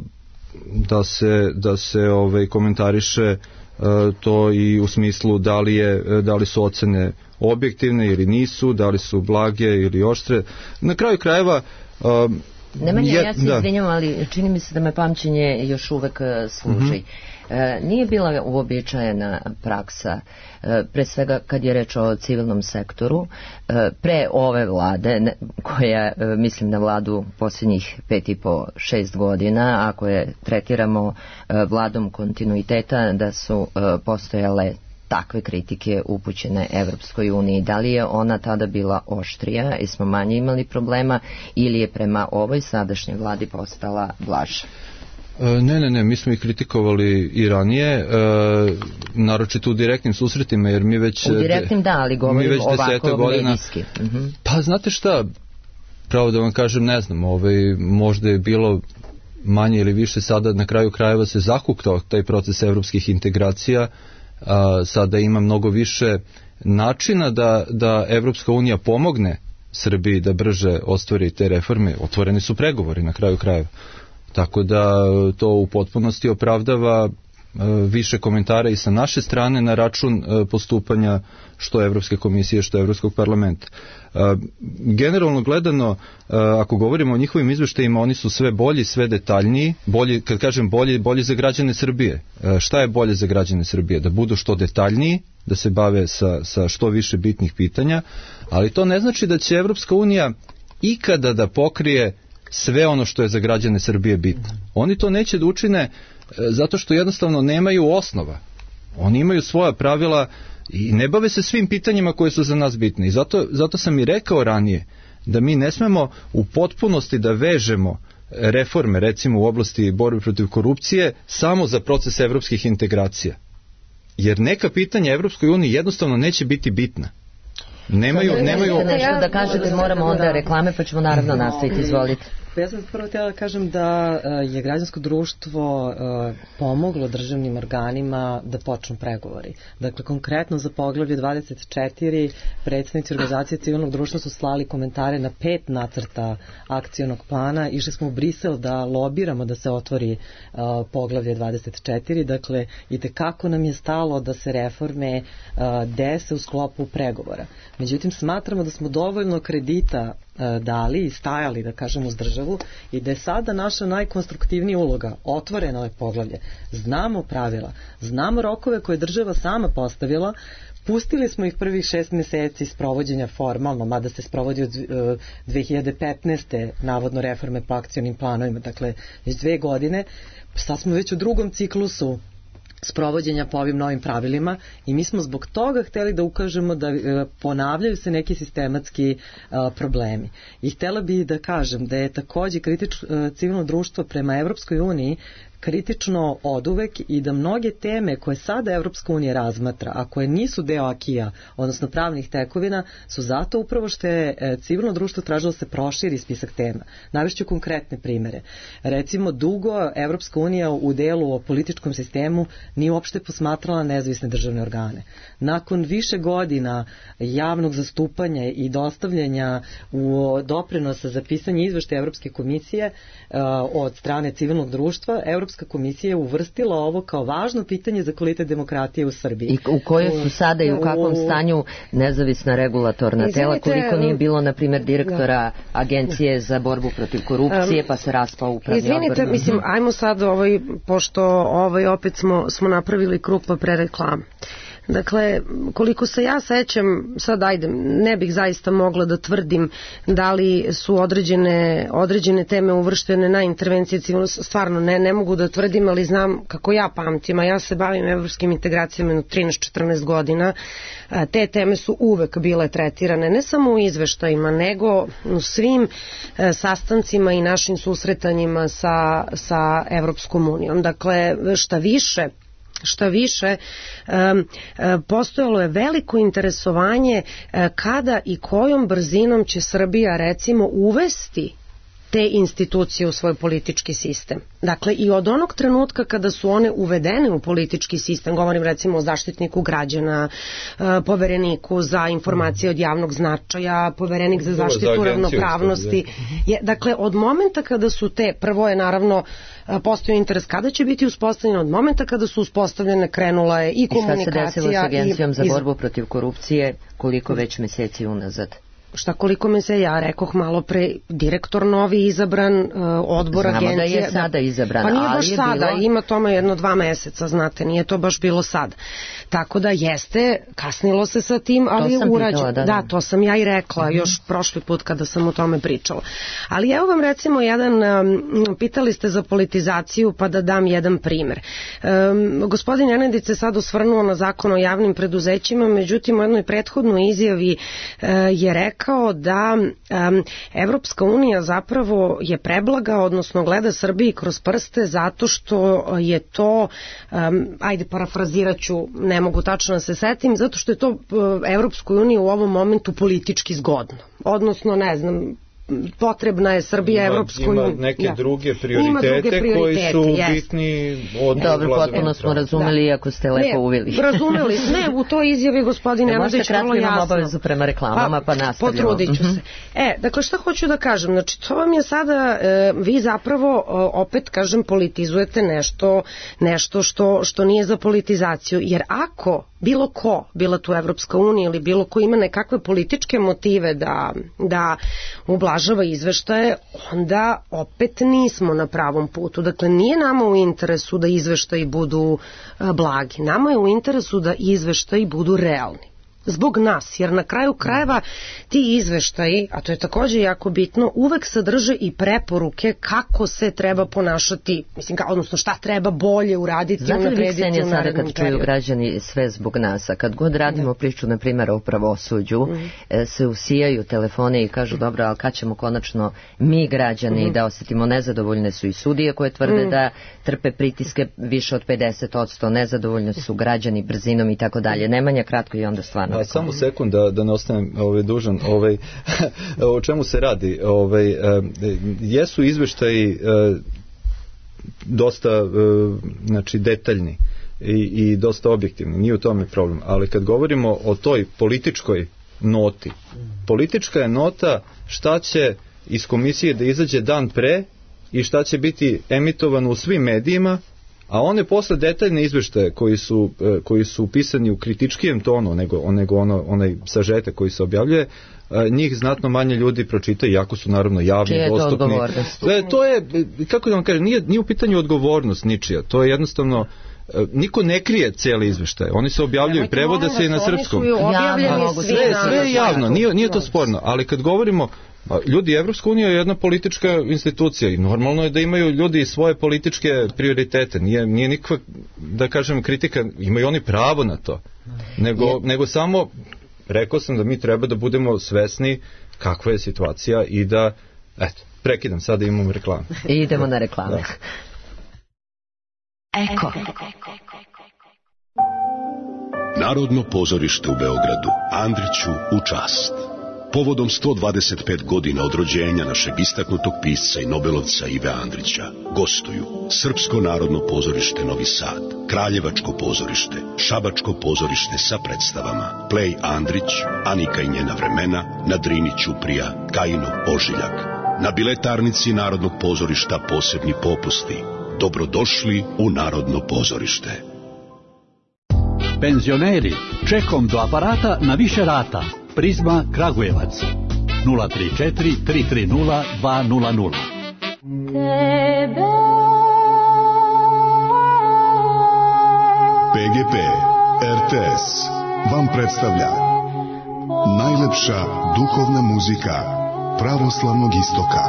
da se, da se ovaj, komentariše uh, to i u smislu da li, je, da li su ocene objektivne ili nisu, da li su blage ili oštre. Na kraju krajeva um, Nemanja, je, ja se da. izvinjam, ali čini mi se da me pamćenje još uvek služi. Mm-hmm. E, nije bila uobičajena praksa, e, pre svega kad je reč o civilnom sektoru, e, pre ove vlade, ne, koja, e, mislim na vladu posljednjih pet i po, šest godina, ako je tretiramo e, vladom kontinuiteta, da su e, postojale takve kritike upućene Evropskoj uniji. Da li je ona tada bila oštrija i smo manje imali problema ili je prema ovoj sadašnjoj vladi postala blaža? Ne, ne, ne, mi smo ih kritikovali i ranije, e, naročito u direktnim susretima, jer mi već... U direktnim da, ali govorim ovako godina, medijski. Uh-huh. Pa znate šta, pravo da vam kažem, ne znam, ovaj, možda je bilo manje ili više, sada na kraju krajeva se zahuktao taj proces evropskih integracija. A, sada ima mnogo više načina da, da Evropska unija pomogne Srbiji da brže ostvari te reforme. Otvoreni su pregovori na kraju krajeva. Tako da to u potpunosti opravdava više komentara i sa naše strane na račun postupanja što Evropske komisije, što Evropskog parlamenta. Generalno gledano, ako govorimo o njihovim izveštajima, oni su sve bolji, sve detaljniji, bolji, kad kažem bolji, bolji za građane Srbije. Šta je bolje za građane Srbije? Da budu što detaljniji, da se bave sa, sa što više bitnih pitanja, ali to ne znači da će Evropska unija ikada da pokrije sve ono što je za građane Srbije bitno. Oni to neće da učine zato što jednostavno nemaju osnova. Oni imaju svoja pravila i ne bave se svim pitanjima koje su za nas bitne. I zato, zato sam i rekao ranije da mi ne smemo u potpunosti da vežemo reforme, recimo u oblasti borbe protiv korupcije, samo za proces evropskih integracija. Jer neka pitanja Evropskoj uniji jednostavno neće biti bitna. Nemaju, nemaju... Nešto da kažete, moramo onda reklame, pa ćemo naravno nastaviti, izvolite. Ja sam prvo htjela da kažem da je građansko društvo pomoglo državnim organima da počnu pregovori. Dakle, konkretno za poglavlje dvadeset četiri predstavnici organizacije civilnog društva su slali komentare na pet nacrta akcionog plana. Išli smo u Brisel da lobiramo da se otvori poglavlje dvadeset četiri. Dakle, i tekako nam je stalo da se reforme dese u sklopu pregovora. Međutim, smatramo da smo dovoljno kredita dali i stajali, da kažem, uz državu i da je sada naša najkonstruktivnija uloga otvoreno ove poglavlje. Znamo pravila, znamo rokove koje država sama postavila, pustili smo ih prvih šest meseci sprovođenja formalno, mada se sprovodi od dve hiljade petnaeste navodno reforme po akcionim planovima, dakle već dve godine, sad smo već u drugom ciklusu sprovođenja po ovim novim pravilima i mi smo zbog toga hteli da ukažemo da e, ponavljaju se neki sistematski e, problemi. I htela bi da kažem da je takođe kritič, e, civilno društvo prema Evropskoj uniji kritično oduvek i da mnoge teme koje sada Evropska unija razmatra, a koje nisu deo akija, odnosno pravnih tekovina, su zato upravo što je civilno društvo tražilo da se proširi spisak tema. Navešću konkretne primere. Recimo, dugo Evropska unija u delu o političkom sistemu nije uopšte posmatrala nezavisne državne organe. Nakon više godina javnog zastupanja i dostavljanja u doprinosa za pisanje izveštaja Evropske komisije uh, od strane civilnog društva, Evropska komisija je uvrstila ovo kao važno pitanje za kvalitet demokratije u Srbiji. I u kojoj su sada i u kakvom stanju nezavisna regulatorna tela, koliko nije bilo, na primjer, direktora Agencije za borbu protiv korupcije, pa se raspao upravni odbor. Izvinite, mislim, ajmo sad, ovaj, pošto ovaj, opet smo, smo napravili krug pa pre reklame. Dakle, koliko se ja sećam, sad ajde, ne bih zaista mogla da tvrdim da li su određene, određene teme uvrštene na intervencije civilno, stvarno ne, ne mogu da tvrdim, ali znam kako ja pamtim, a ja se bavim evropskim integracijama na trinaest četrnaest godina, te teme su uvek bile tretirane, ne samo u izveštajima, nego u svim sastancima i našim susretanjima sa, sa Evropskom unijom. Dakle, šta više, Šta više, postojalo je veliko interesovanje kada i kojom brzinom će Srbija, recimo, uvesti te institucije u svoj politički sistem. Dakle, i od onog trenutka kada su one uvedene u politički sistem, govorim recimo o zaštitniku građana, povereniku za informacije od javnog značaja, poverenik za zaštitu ravnopravnosti. Je, dakle, od momenta kada su te, prvo je naravno postoji interes kada će biti uspostavljene, od momenta kada su uspostavljene krenula je i komunikacija. I šta se desilo s Agencijom za borbu protiv korupcije, koliko već meseci unazad? Šta koliko me se ja rekoh malo pre, direktor novi izabran, uh, odbor Znamo agencije. Znamo da je sada izabran, pa nije baš ali je sada, bilo... ima tome jedno dva meseca, znate, nije to baš bilo sad. Tako da jeste, kasnilo se sa tim, ali je urađeno. Da, da. da, to sam ja i rekla, uh-huh. još prošli put kada sam o tome pričala. Ali evo vam recimo jedan, um, pitali ste za politizaciju, pa da dam jedan primer. Um, gospodin Nenadić se sad osvrnuo na zakon o javnim preduzećima, međutim u jednoj prethodnoj izjavi uh, je rekao kao da um, Evropska unija zapravo je preblaga, odnosno gleda Srbiji kroz prste zato što je to, um, ajde parafrazirat ću, ne mogu tačno da se setim, zato što je to uh, Evropskoj uniji u ovom momentu politički zgodno. Odnosno, ne znam, potrebna je Srbija Evropskoj uniji. Ima neke ja. druge prioritete, prioritete koji su yes. bitni od... Dobro, potpuno smo razumeli, da. Ako ste lepo ne, uvili. Razumeli, ne, u toj izjavi gospodin Nenadić vrlo jasno. Imam obavezu prema reklamama, pa, pa nastavljamo. Potrudit ću se. E, dakle, šta hoću da kažem? Znači, to vam je sada, e, vi zapravo, opet, kažem, politizujete nešto, nešto što, što nije za politizaciju, jer ako bilo ko, bila tu Evropska unija ili bilo ko ima nekakve političke motive da, da ublažava izveštaje, onda opet nismo na pravom putu. Dakle, nije nama u interesu da izveštaji budu blagi. Nama je u interesu da izveštaji budu realni. Zbog nas, jer na kraju krajeva ti izveštaji, a to je takođe jako bitno, uvek sadrže i preporuke kako se treba ponašati, mislim, ka, odnosno šta treba bolje uraditi, znate unaprediti u narednom periodu. Znate li, Ksenija, sada kad čuju građani sve zbog nas, a kad god radimo priču, na primjer, o pravosuđu, mm. se usijaju telefone i kažu, dobro, ali kad ćemo konačno mi građani mm. da osetimo, nezadovoljne su i sudije koje tvrde mm. da trpe pritiske više od pedeset posto, nezadovoljni su građani brzinom i tako dalje. Nemanja, kratko i onda stvarno. A samo sekund da, da ne ostanem ovaj, dužan, ovaj, o čemu se radi. Ovaj, e, jesu izveštaji e, dosta e, znači, detaljni i, i dosta objektivni, nije u tome problem, ali kad govorimo o toj političkoj noti, politička je nota šta će iz komisije da izađe dan pre i šta će biti emitovano u svim medijima, a one posle detaljne izveštaje koji su, koji su pisani u kritičkijem tonu nego, nego ono, onaj sažetak koji se objavljuje, njih znatno manje ljudi pročita, iako su naravno javni, čije dostupni. To odgovornost? To je, kako da vam kažem, nije, nije u pitanju odgovornost ničija, to je jednostavno, niko ne krije cijeli izveštaj, oni se objavljuju, prevode se i na srpskom. Sve, sve je javno, nije, nije to sporno, ali kad govorimo, ljudi, Evropska unija je jedna politička institucija i normalno je da imaju ljudi svoje političke prioritete, nije, nije nikakva, da kažem, kritika, imaju oni pravo na to, nego, nego samo rekao sam da mi treba da budemo svesni kakva je situacija i da, eto, prekidam, sada imamo reklame. I idemo na reklame. Da. Eko. Narodno pozorište u Beogradu, Andriću u čast. Povodom sto dvadeset pet godina od rođenja našeg istaknutog pisca i nobelovca Ive Andrića gostuju Srpsko narodno pozorište Novi Sad, Kraljevačko pozorište, Šabačko pozorište sa predstavama Plej Andrić, Anika i njena vremena, na Drini Ćuprija, Kajino Ožiljak. Na biletarnici Narodnog pozorišta posebni popusti. Dobrodošli u Narodno pozorište. Penzioneri, čekom do aparata na više rata. Prizma Kragujevac nula tri četiri tri tri nula dva nula nula. P G P R T S vam predstavlja najlepša duhovna muzika pravoslavnog istoka.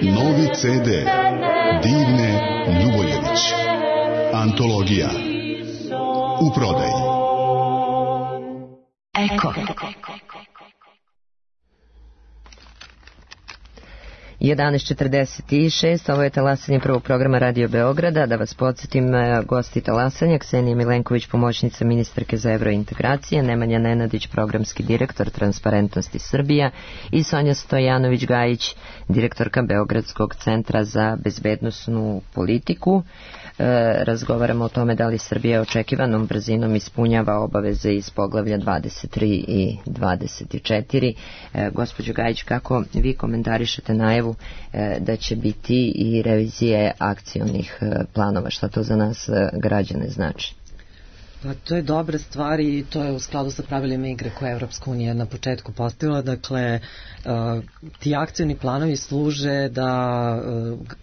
Novi C D Divne Ljuboljević. Antologija u prodaji. Eko. jedanaest četrdeset šest, ovo je talasanje prvog programa Radio Beograda. Da vas podsjetim, gosti talasanja: Ksenija Milenković, pomoćnica ministarke za evrointegracije, Nemanja Nenadić, programski direktor Transparentnosti Srbija, i Sonja Stojanović-Gajić, direktorka Beogradskog centra za bezbednosnu politiku. E, razgovaramo o tome da li Srbija očekivanom brzinom ispunjava obaveze iz poglavlja dvadeset tri i dvadeset četiri. E, gospođo Gajić, kako vi komentarišete najavu e, da će biti i revizije akcionih e, planova? Šta to za nas e, građane znači? Pa to je dobra stvar i to je u skladu sa pravilima igre koje je Evropska unija na početku postavila. Dakle, uh, ti akcioni planovi služe da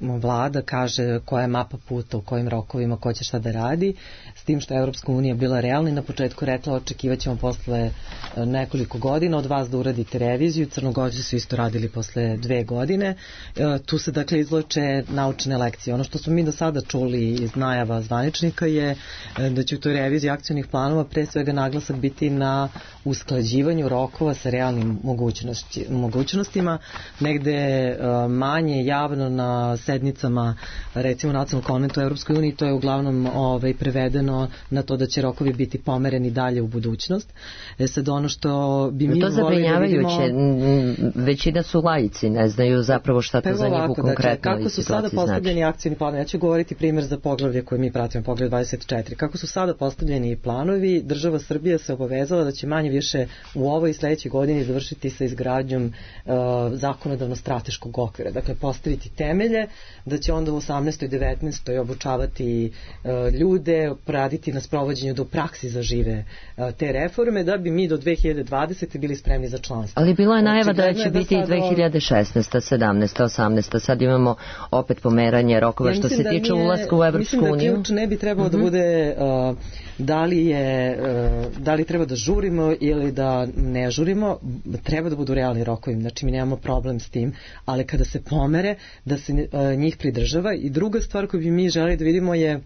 uh, vlada kaže koja je mapa puta, u kojim rokovima, ko će šta da radi, s tim što je Evropska unija bila realna i na početku rekla očekivat ćemo posle uh, nekoliko godina od vas da uradite reviziju. Crnogorci su isto radili posle dve godine. Uh, tu se dakle izloče naučne lekcije. Ono što smo mi do sada čuli iz najava zvaničnika je uh, da će u toj reviziji izradi akcionih planova pre svega naglasak biti na usklađivanju rokova sa realnim mogućnosti, mogućnostima, negde manje javno na sednicama recimo nacionalnog konventa u Evropskoj uniji, to je uglavnom ovaj, prevedeno na to da će rokovi biti pomereni dalje u budućnost. E sad ono što bi mi to zabrinjavajuće, vidimo... većina su laici, ne znaju zapravo šta to za njih u konkretnoj kako su sada postavljeni znači. Akcioni planovi, ja ću govoriti primjer za poglavlje koje mi pratimo, poglavlje dvadeset četiri. Kako su sada postavljeni planovi, država Srbija se obavezala da će manje više u ovoj i sledećoj godini završiti sa izgradnjom uh, zakonodavno-strateškog okvira. Dakle, postaviti temelje, da će onda u osamnaestoj i devetnaestoj obučavati uh, ljude, raditi na sprovođenju do praksi zažive uh, te reforme, da bi mi do dve hiljade dvadesete bili spremni za članstvo. Ali bila je najava da će biti i dve hiljade šesnaeste, sedamnaeste, osamnaeste. Sad imamo opet pomeranje rokova ja što se tiče ulaska u Evropsku uniju. Mislim da ključ ne bi trebao mm-hmm. da bude uh, da li je uh, da li treba da žurimo ili da ne žurimo, treba da budu realni rokovi, znači mi nemamo problem s tim, ali kada se pomere da se uh, njih pridržava. I druga stvar koju bi mi želi da vidimo je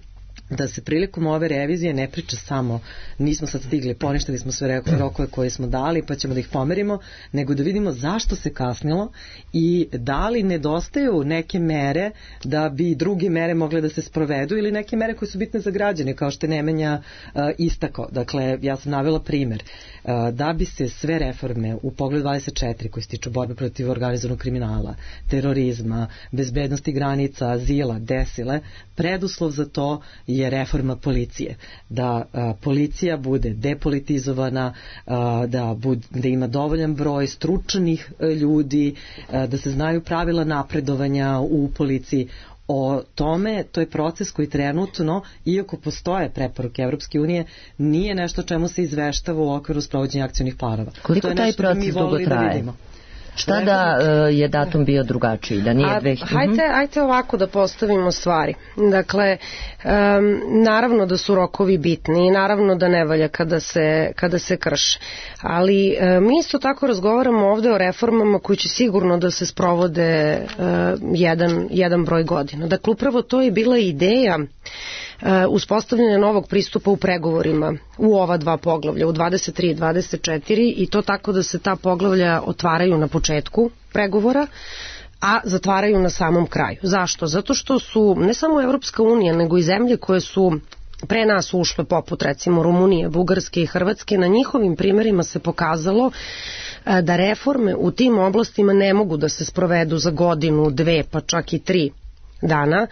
da se prilikom ove revizije ne priča samo nismo sad stigli, poništili smo sve rokove koje smo dali pa ćemo da ih pomerimo, nego da vidimo zašto se kasnilo i da li nedostaju neke mere da bi druge mere mogle da se sprovedu ili neke mere koje su bitne za građane, kao što je Nemanja uh, istakao. Dakle, ja sam navela primer. Uh, da bi se sve reforme u pogledu dvadeset četiri koji se tiču borbe protiv organizovanog kriminala, terorizma, bezbednosti granica, azila, desile, preduslov za to je reforma policije. Da a, policija bude depolitizovana, a, da, bud, da ima dovoljan broj stručnih a, ljudi, a, da se znaju pravila napredovanja u policiji. O tome, to je proces koji trenutno, iako postoje preporuke Evropske unije, nije nešto čemu se izveštava u okviru sprovođenja akcionih planova. Koliko taj proces dugo traje? Šta da uh, je datum bio drugačiji, da nije dve hiljade? Hajde, hajde ovako da postavimo stvari. Dakle, um, naravno da su rokovi bitni i naravno da ne valja kada se, kada se krše. Ali uh, mi isto tako razgovaramo ovde o reformama koji će sigurno da se sprovode uh, jedan, jedan broj godina. Dakle, upravo to je bila ideja Uh, uspostavljanje novog pristupa u pregovorima u ova dva poglavlja, u dvadeset tri i dvadeset četiri, i to tako da se ta poglavlja otvaraju na početku pregovora, a zatvaraju na samom kraju. Zašto? Zato što su ne samo Evropska unija, nego i zemlje koje su pre nas ušle, poput recimo Rumunije, Bugarske i Hrvatske, na njihovim primerima se pokazalo uh, da reforme u tim oblastima ne mogu da se sprovedu za godinu, dve, pa čak i tri dana,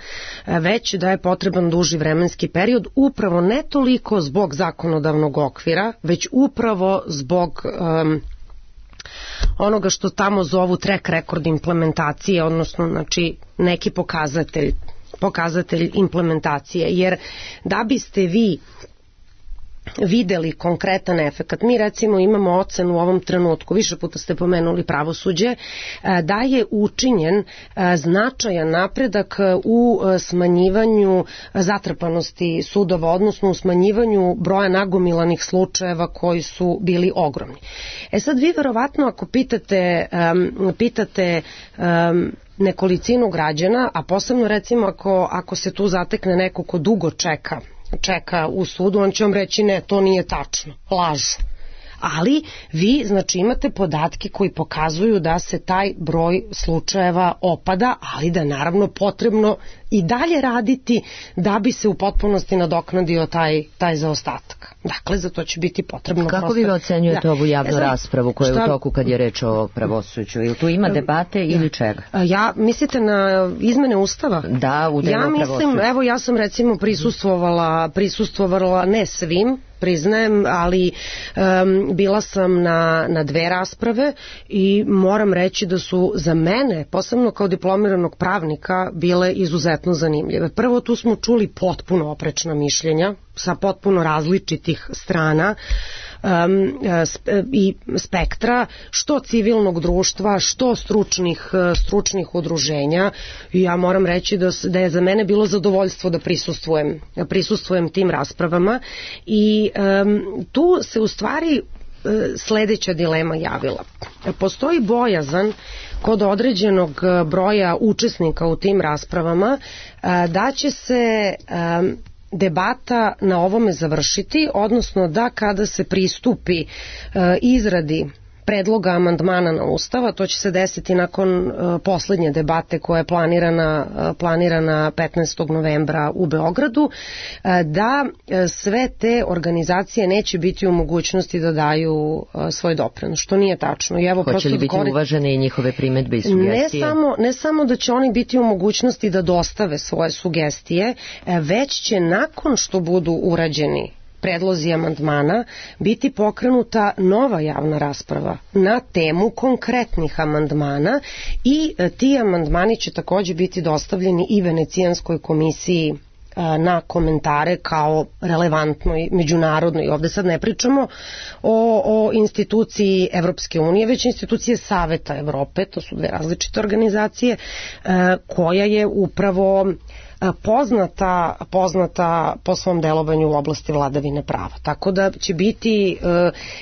već da je potreban duži vremenski period, upravo ne toliko zbog zakonodavnog okvira, već upravo zbog um, onoga što tamo zovu track record implementacije, odnosno znači neki pokazatelj, pokazatelj implementacije, jer da biste vi videli konkretan efekat. Mi recimo imamo ocenu u ovom trenutku, više puta ste pomenuli pravosuđe, da je učinjen značajan napredak u smanjivanju zatrpanosti sudova, odnosno u smanjivanju broja nagomilanih slučajeva koji su bili ogromni. E sad vi verovatno ako pitate, um, pitate um, nekolicinu građana, a posebno recimo ako, ako se tu zatekne neko ko dugo čeka čeka u sudu, on će vam reći ne, to nije tačno, lažu. Ali vi znači imate podatke koji pokazuju da se taj broj slučajeva opada, ali da je naravno potrebno i dalje raditi da bi se u potpunosti nadoknadio taj, taj zaostatak. Dakle, za to će biti potrebno. Kako prosto... vi ocenjujete da. ovu javnu e, znam, raspravu koja šta... je u toku kad je reč o pravosuđu? Ili tu ima debate ja. ili čega? Ja, mislite na izmene Ustava? Da, u delu ja mislim, evo ja sam recimo prisustvovala, prisustvovala ne svim, priznajem, ali um, bila sam na, na dve rasprave i moram reći da su za mene, posebno kao diplomiranog pravnika, bile izuzetno zanimljive. Prvo, tu smo čuli potpuno oprečna mišljenja sa potpuno različitih strana um, i spektra, što civilnog društva, što stručnih, stručnih udruženja. I ja moram reći da, da je za mene bilo zadovoljstvo da prisustvujem, prisustvujem tim raspravama i um, tu se u stvari sledeća dilema javila. Postoji bojazan kod određenog broja učesnika u tim raspravama da će se debata na ovome završiti, odnosno da kada se pristupi e, izradi predloga amandmana na Ustava, to će se desiti nakon uh, poslednje debate koja je planirana, uh, planirana petnaestog novembra u Beogradu, uh, da uh, sve te organizacije neće biti u mogućnosti da daju uh, svoj doprinos, što nije tačno. I evo, hoće li biti korit... uvažene i njihove primedbe i sugestije? Ne samo, ne samo da će oni biti u mogućnosti da dostave svoje sugestije, uh, već će nakon što budu urađeni predlozi amandmana biti pokrenuta nova javna rasprava na temu konkretnih amandmana i ti amandmani će takođe biti dostavljeni i Venecijanskoj komisiji na komentare kao relevantnoj međunarodnoj. Ovde sad ne pričamo o, o instituciji Evropske unije, već institucije Saveta Evrope, to su dve različite organizacije, koja je upravo poznata, poznata po svom delovanju u oblasti vladavine prava. Tako da će biti,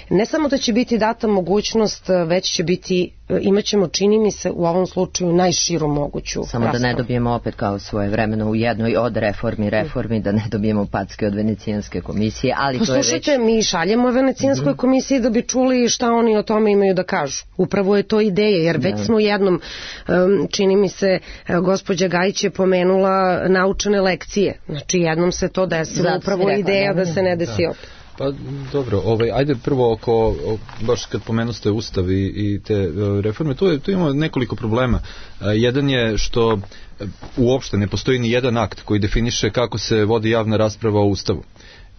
ne samo da će biti data mogućnost, već će biti, imat ćemo, čini mi se, u ovom slučaju najširu moguću Samo raspravu. Da ne dobijemo opet kao svoje vremeno u jednoj od reformi reformi, da ne dobijemo packe od Venecijanske komisije, ali to je već... Poslušajte, mi šaljemo Venecijanskoj mm-hmm. komisiji da bi čuli šta oni o tome imaju da kažu. Upravo je to ideja, jer već da. smo jednom, čini mi se, gospođa Gajić je pomenula naučene lekcije. Znači, jednom se to desilo, Zato upravo je ideja da, da se ne desi opet. Pa dobro, ovaj, ajde prvo oko, baš kad pomenuste Ustav i, i te reforme, tu, je, tu imamo nekoliko problema. Jedan je što uopšte ne postoji ni jedan akt koji definiše kako se vodi javna rasprava o Ustavu.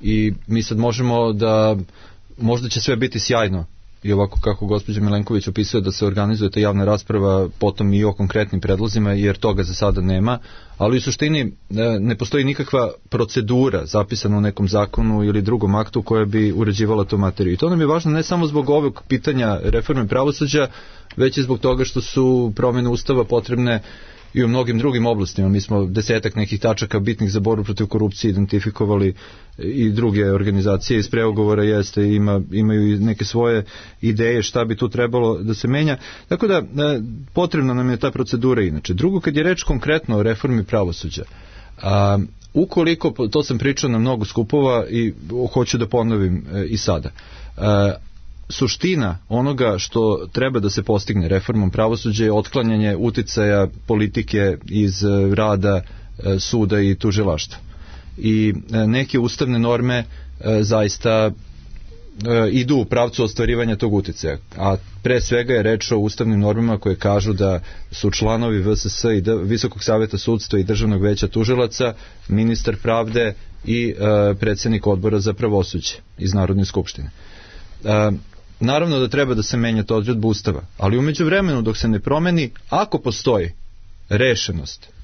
I mi sad možemo da, možda će sve biti sjajno, i ovako kako gospođa Milenković opisuje da se organizuje ta javna rasprava potom i o konkretnim predlozima, jer toga za sada nema, ali u suštini ne postoji nikakva procedura zapisana u nekom zakonu ili drugom aktu koja bi uređivala tu materiju. I to nam je važno ne samo zbog ovog pitanja reforme pravosuđa, već i zbog toga što su promjene Ustava potrebne i u mnogim drugim oblastima. Mi smo desetak nekih tačaka bitnih za borbu protiv korupcije identifikovali, i druge organizacije iz pregovora jeste, ima, imaju neke svoje ideje šta bi tu trebalo da se menja. Tako da potrebna nam je ta procedura inače. Drugo, kad je reč konkretno o reformi pravosuđa, a, ukoliko, to sam pričao na mnogo skupova i hoću da ponovim e, i sada, a, suština onoga što treba da se postigne reformom pravosuđa je otklanjanje uticaja politike iz rada suda i tužilaštva. I neke ustavne norme zaista idu u pravcu ostvarivanja tog uticaja. A pre svega je reč o ustavnim normama koje kažu da su članovi V S S i Visokog saveta sudstva i Državnog veća tužilaca, ministar pravde i predsednik odbora za pravosuđe iz Narodne skupštine. Naravno da treba da se menja to odredba Ustava, ali umeđu vremenu dok se ne promeni, ako postoji rešenost,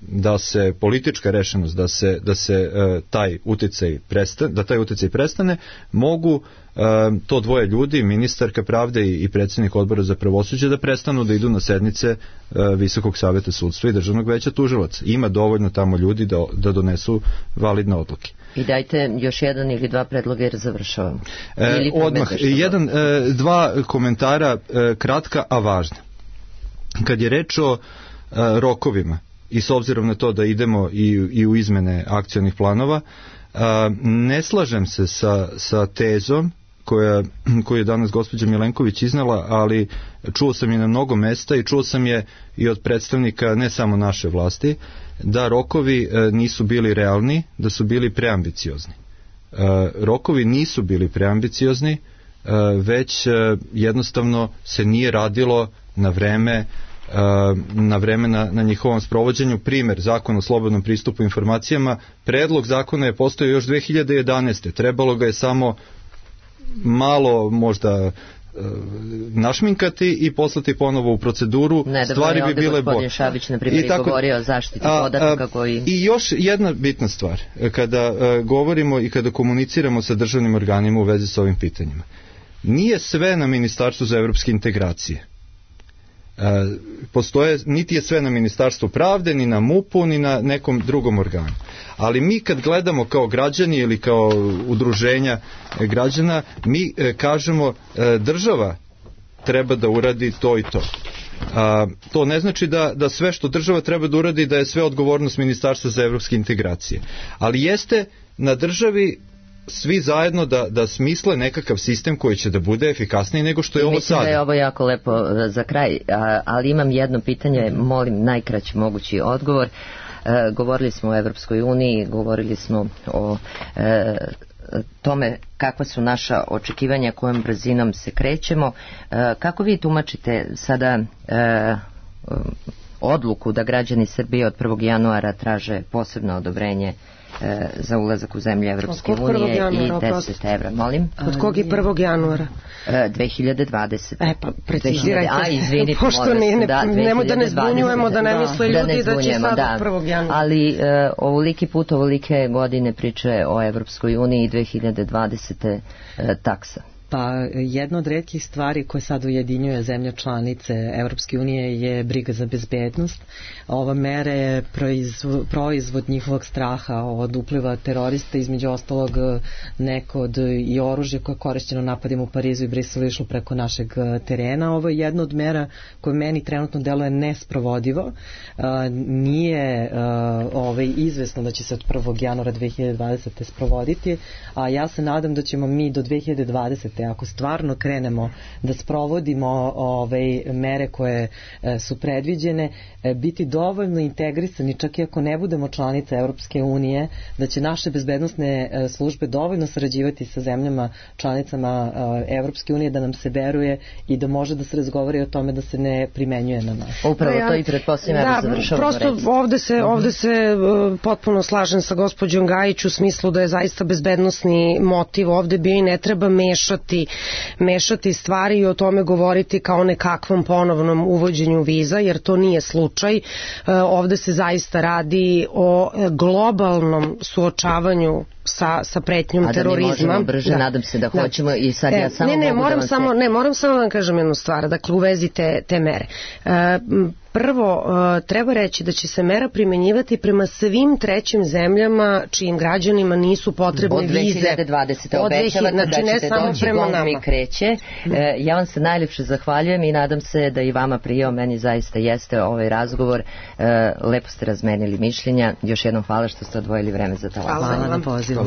da se politička rešenost, da se, da se taj uticaj prestane, da taj uticaj prestane, mogu to dvoje ljudi, ministarka pravde i predsednik odbora za pravosuđe, da prestanu da idu na sednice Visokog saveta sudstva i Državnog veća tužilaca. Ima dovoljno tamo ljudi da, da donesu validne odluke. I dajte još jedan ili dva predloga jer završavamo. E, odmah, jedan, e, dva komentara, e, kratka, a važna. Kad je reč o e, rokovima, i s obzirom na to da idemo i, i u izmene akcionih planova, a, ne slažem se sa, sa tezom koja, koju je danas gospođa Milenković iznala, ali čuo sam je na mnogo mesta i čuo sam je i od predstavnika ne samo naše vlasti, da rokovi a, nisu bili realni, da su bili preambiciozni. A, rokovi nisu bili preambiciozni, a, već a, jednostavno se nije radilo na vreme na vreme na, na njihovom sprovođenju. Primer, zakon o slobodnom pristupu informacijama, predlog zakona je postojao još dve hiljade jedanaeste. Trebalo ga je samo malo možda našminkati i poslati ponovo u proceduru. Ne, stvari bi bile bolje. Gospodin Šabić, na primjer, tako, govorio o zaštiti podataka koji... I još jedna bitna stvar, kada a, govorimo i kada komuniciramo sa državnim organima u vezi s ovim pitanjima. Nije sve na Ministarstvu za evropske integracije. Postoje, niti je sve na Ministarstvu pravde, ni na MUP-u, ni na nekom drugom organu. Ali mi kad gledamo kao građani ili kao udruženja građana, mi kažemo država treba da uradi to i to. A, to ne znači da, da sve što država treba da uradi da je sve odgovornost Ministarstva za evropske integracije. Ali jeste na državi svi zajedno da, da smisle nekakav sistem koji će da bude efikasniji nego što je ovo Mislim sad. Mislim da je ovo jako lepo za kraj, ali imam jedno pitanje, molim najkraći mogući odgovor. E, govorili smo o Evropskoj uniji, govorili smo o e, tome kakva su naša očekivanja, kojom brzinom se krećemo. E, kako vi tumačite sada e, odluku da građani Srbije od prvog januara traže posebno odobrenje e, za ulazak u zemlje Evropske unije i deset evra, molim? Od kog je prvog januara? E, dve hiljade dvadesete. E pa precizirajte. A, izvinite, pošto ne, ne, da, nemo da ne zbunjujemo, da ne da, misle ljudi da, ne da će sad da. Od prvog januara. Ali e, ovoliki put, ovolike godine priče o Evropskoj uniji i dve hiljade dvadesete e, taksa. Pa jedna od retkih stvari koje sad ujedinjuje zemlje članice Evropske unije je briga za bezbednost. Ova mera je proizvod, proizvod njihovog straha od upliva terorista, između ostalog neko od i oružje koje je korišćeno napadima u Parizu i Briselu išlo preko našeg terena. Ovo je jedna od mera koja meni trenutno deluje nesprovodivo. Nije ovaj, izvesno da će se od prvog januara dve hiljade dvadesete sprovoditi, a ja se nadam da ćemo mi do dve hiljade dvadesete ako stvarno krenemo da sprovodimo ove mere koje e, su predviđene, e, biti dovoljno integrisani, čak i ako ne budemo članice Evropske unije, da će naše bezbednosne e, službe dovoljno sarađivati sa zemljama članicama e, Evropske unije da nam se veruje i da može da se razgovori o tome da se ne primenjuje na nas. Upravo to i pretpostavljam da završavamo. Prosto reći. ovde se, ovde se uh, potpuno slažem sa gospođom Gajić u smislu da je zaista bezbednosni motiv ovde bio i ne treba mešati mešati stvari i o tome govoriti kao nekakvom ponovnom uvođenju viza, jer to nije slučaj. Ovde se zaista radi o globalnom suočavanju sa, sa pretnjom a terorizma. A da mi možemo brže, da. Nadam se da, da hoćemo i sad e, ja samo ne, ne, mogu moram da samo, se... ne, moram samo da vam kažem jednu stvar, dakle u vezi te, te mere. E, prvo, e, treba reći da će se mera primenjivati prema svim trećim zemljama čijim građanima nisu potrebne vize. Od dve hiljade dvadesete obećavate znači, da ćete doći, gong mi kreće. E, ja vam se najljepše zahvaljujem i nadam se da i vama prijao, meni zaista jeste ovaj razgovor. E, lepo ste razmenili mišljenja. Još jednom hvala što ste odvojili vreme za talas. Hvala na pozivu.